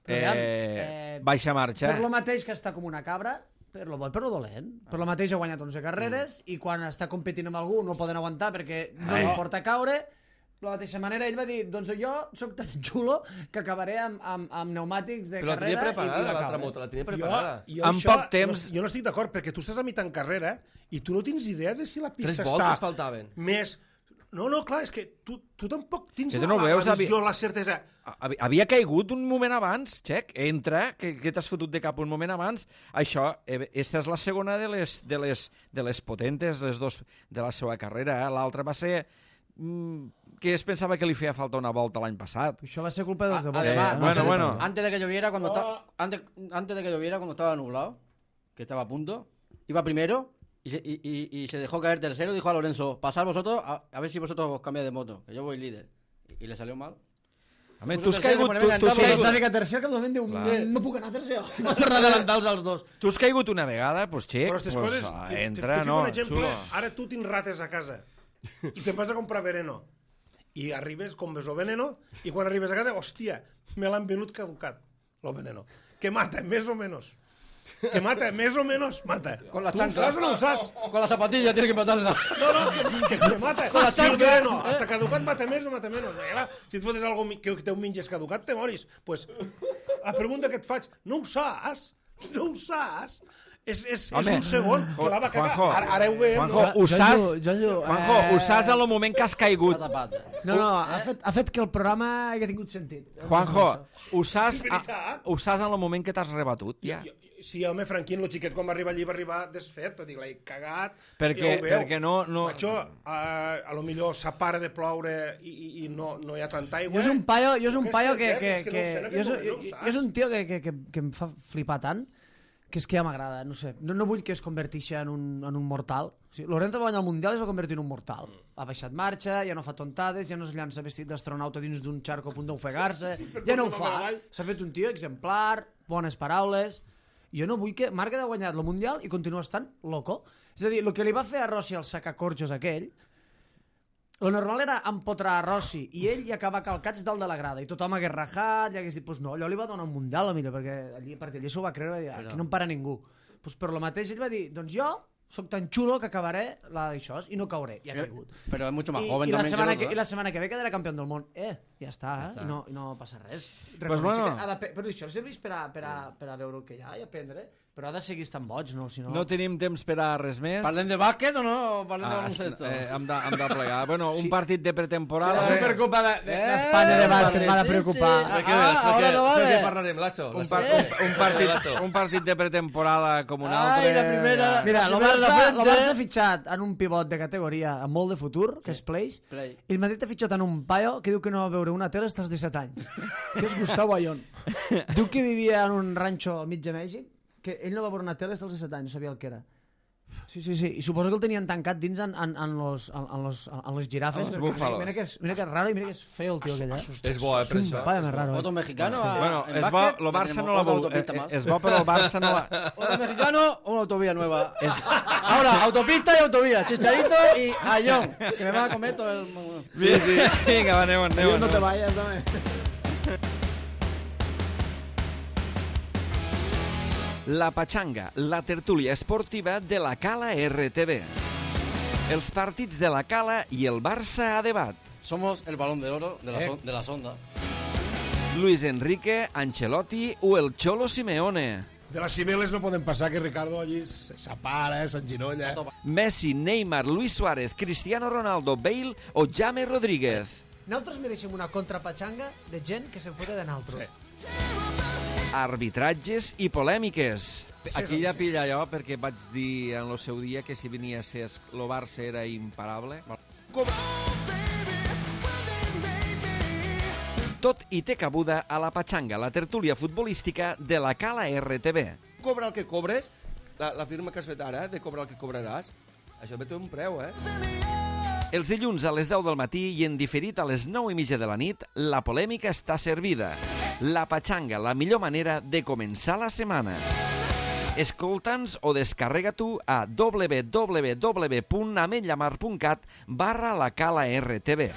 Però, aviam, eh, eh, baixa marxa. Per lo mateix que està com una cabra, per lo bo i per lo dolent. Per lo mateix ha guanyat onze carreres i quan està competint amb algú no poden aguantar perquè no li importa caure. De la mateixa manera, ell va dir, doncs jo sóc tan xulo que acabaré amb, amb, amb pneumàtics de Però la tenia carrera i, preparada, i va l'altra caure. moto, la tenia Jo, preparada. jo En això poc temps- No, jo no estic d'acord, perquè tu estàs a mitjà en carrera i tu no tens idea de si la Tres pista voltes està faltaven. més... No, no, clar, és que tu, tu tampoc tens Que la, tu no la, veus, la avi- visió, la certesa. Havi- Havia caigut un moment abans, Xec, entra, que, que t'has fotut de cap un moment abans. Això, eh, esta és la segona de les, de les, de les potentes, les dos de la seva carrera. Eh? L'altra va ser mm, que es pensava que li feia falta una volta l'any passat. Això va ser culpa dels de Vox. Además, Eh, no bueno, sé de bueno. per què. Antes de que lloviera, cuando Oh. estaba antes, antes de que lloviera, cuando estaba nublado, que estaba a punto, iba primero y se, y, y, y se dejó caer tercero. Dijo a Lorenzo, pasad vosotros, a, a ver si vosotros os cambiáis de moto, que yo voy líder. Y, y le salió mal. Home, Pues tu has tercer, caigut, se tu, pone tu has venga, Sí, vamos, és caigut, una mica tercer que de moment diu, Clar. no puc anar tercer. Va fer adelantar-los als dos. tu has caigut una vegada, doncs, Xec, Però aquestes pues, coses... ah, te- entra, te fico no, un exemple, xulo. ara tu tens rates a casa i te'n vas a comprar veneno i arribes, compres el veneno i quan arribes a casa, hòstia, me l'han venut caducat, el veneno. Que mata, més o menys. Que mata, més o menys mata. Con la tu ho chancla. saps o no ho saps? Con la zapatilla tiene que matarla. No, no, que, que, que mata. Con la Si el chancla, veneno eh? hasta caducat mata més o mata menys. Perquè, clar, si et fotes algo mi- que teu menges caducat, te moris. Pues, la pregunta que et faig, no ho saps? No ho saps? És, és, és Home, un segon que la va cagar. Juanjo, Ara, ara ho veiem. Juanjo, no? ho saps? Jo- jo- jo- Juanjo, ho eh, saps en el moment que has caigut. Pata, pata. No, no, ha fet, ha fet que el programa hagi tingut sentit. Juanjo, ho saps, És veritat. ho saps en el moment que t'has rebatut, ja. Jo- Sí, home, Franquín, el xiquet, quan va arribar allí, va arribar desfet, però dic, l'he cagat. Perquè- ja ho veu. perquè no- no- Macho, a, a lo millor s'apara de ploure i, i, i no, no hi ha tanta aigua. Jo és un paio, jo és un Què paio sé, que, Jack? que, És que que, no ho sé, en jo, aquest és, moment no ho jo, saps. jo és un tio que, que, que, que em fa flipar tant que és que ja m'agrada, no sé. No, no vull que es converteixi en un, en un mortal. O sigui, Lorenzo va guanyar el Mundial i es va convertir en un mortal. Ha baixat marxa, ja no fa tontades, ja no es llança vestit d'astronauta dins d'un xarco a punt d'ofegar-se, Sí, per ja no ho tornar fa. avall. S'ha fet un tio exemplar, bones paraules. Jo no vull que Marc ha guanyat el Mundial i continua estant loco. És a dir, el que li va fer a Rossi al sacacorxos aquell, lo normal era empotrar a Rossi i ell i acabar calcats dalt de la grada i tothom hagués rajat i hagués dit, pues no, allò li va donar un Mundial a millor perquè allí, perquè allí s'ho va creure i aquí no em para ningú. Pues per lo mateix ell va dir, doncs jo soc tan xulo que acabaré la d'això i no cauré, i ha caigut. Pero es mucho más I, joven i, la también setmana que que, el I otro, la setmana que ve quedarà campió del món. Eh, ja està, Ja eh? està. I, no, i no passa res. Pues Reconeix bueno. que ha de, però això serveix per a, per, a, per a veure el que hi ha i aprendre, però ha de seguir estant boig, no? Si no... No tenim temps per a res més. ¿Parlen de básquet o no? ¿Parlen de Ah, baloncesto? eh, hem, de, hem de plegar. Bueno, un Sí. partit de pretemporada. La Supercopa de- de- Eh, d'Espanya de bàsquet m'ha de sí, preocupar. sí. Sé que, Ah, sé ahora que, no sé vale. que parlarem, Lasso. Un, Lasso. par, un, un, partit, Lasso. un partit de pretemporada com un Ai, altre. la primera- Mira, el La primera de la Barça, frente. el Barça ha fitxat en un pivot de categoria amb molt de futur, que és Place, Play. i el Madrid ha fitxat en un paio que diu que no va veure una tele fins als disset anys, que és Gustavo Ayón. Diu que vivia en un ranxo al mig de Mèxic, que ell no va veure una tele fins als disset anys, no sabia el que era. Sí, sí, sí. I suposo que el tenien tancat dins en, en, en, los, en, en, los, en les girafes. Els perquè búfalos. Mira que, és, mira que és raro i mira que és feo el tio aquell, eh? És bo, eh, per És això. un paio més raro. Otro Eh? mexicano a- Bueno, en és bo, básquet. el Barça tenemos no la otra vol... autopista eh, más. És bo, però el Barça no la... Otro mexicano, una autovía nueva. Ahora, autopista y autovía. Chicharito y Ayón. Que me van a comer todo el... Sí, sí. Vinga, va, anem, anem. Diu, no anem. te vayas, dame. La Patxanga, la tertúlia esportiva de la Cala R T V. Els partits de la Cala i el Barça a debat. Somos el balón de oro de, las Eh. on- de las ondas. Luis Enrique, Ancelotti o el Cholo Simeone. De les Cibeles no poden passar que Ricardo allí s'apara, s'enginolla. Messi, Neymar, Luis Suárez, Cristiano Ronaldo, Bale o James Rodríguez. Nosaltres mereixem una contrapatxanga de gent que se'n fote de nosaltres. Arbitratges i polèmiques. Aquí ja pilla allò, perquè vaig dir en el seu dia que si venia a ser el Barça era imparable. Tot hi té cabuda a la Patxanga, la tertúlia futbolística de la Cala R T V. Cobra el que cobres, la, la firma que has fet ara, de cobrar el que cobraràs, això ve té un preu, eh? Els dilluns a les deu del matí i en diferit a les nou i mitja de la nit, la polèmica està servida. La Patxanga, la millor manera de començar la setmana. Escolta'ns o descarrega tu a w w w punt ametllamar punt cat barra la Cala R T V.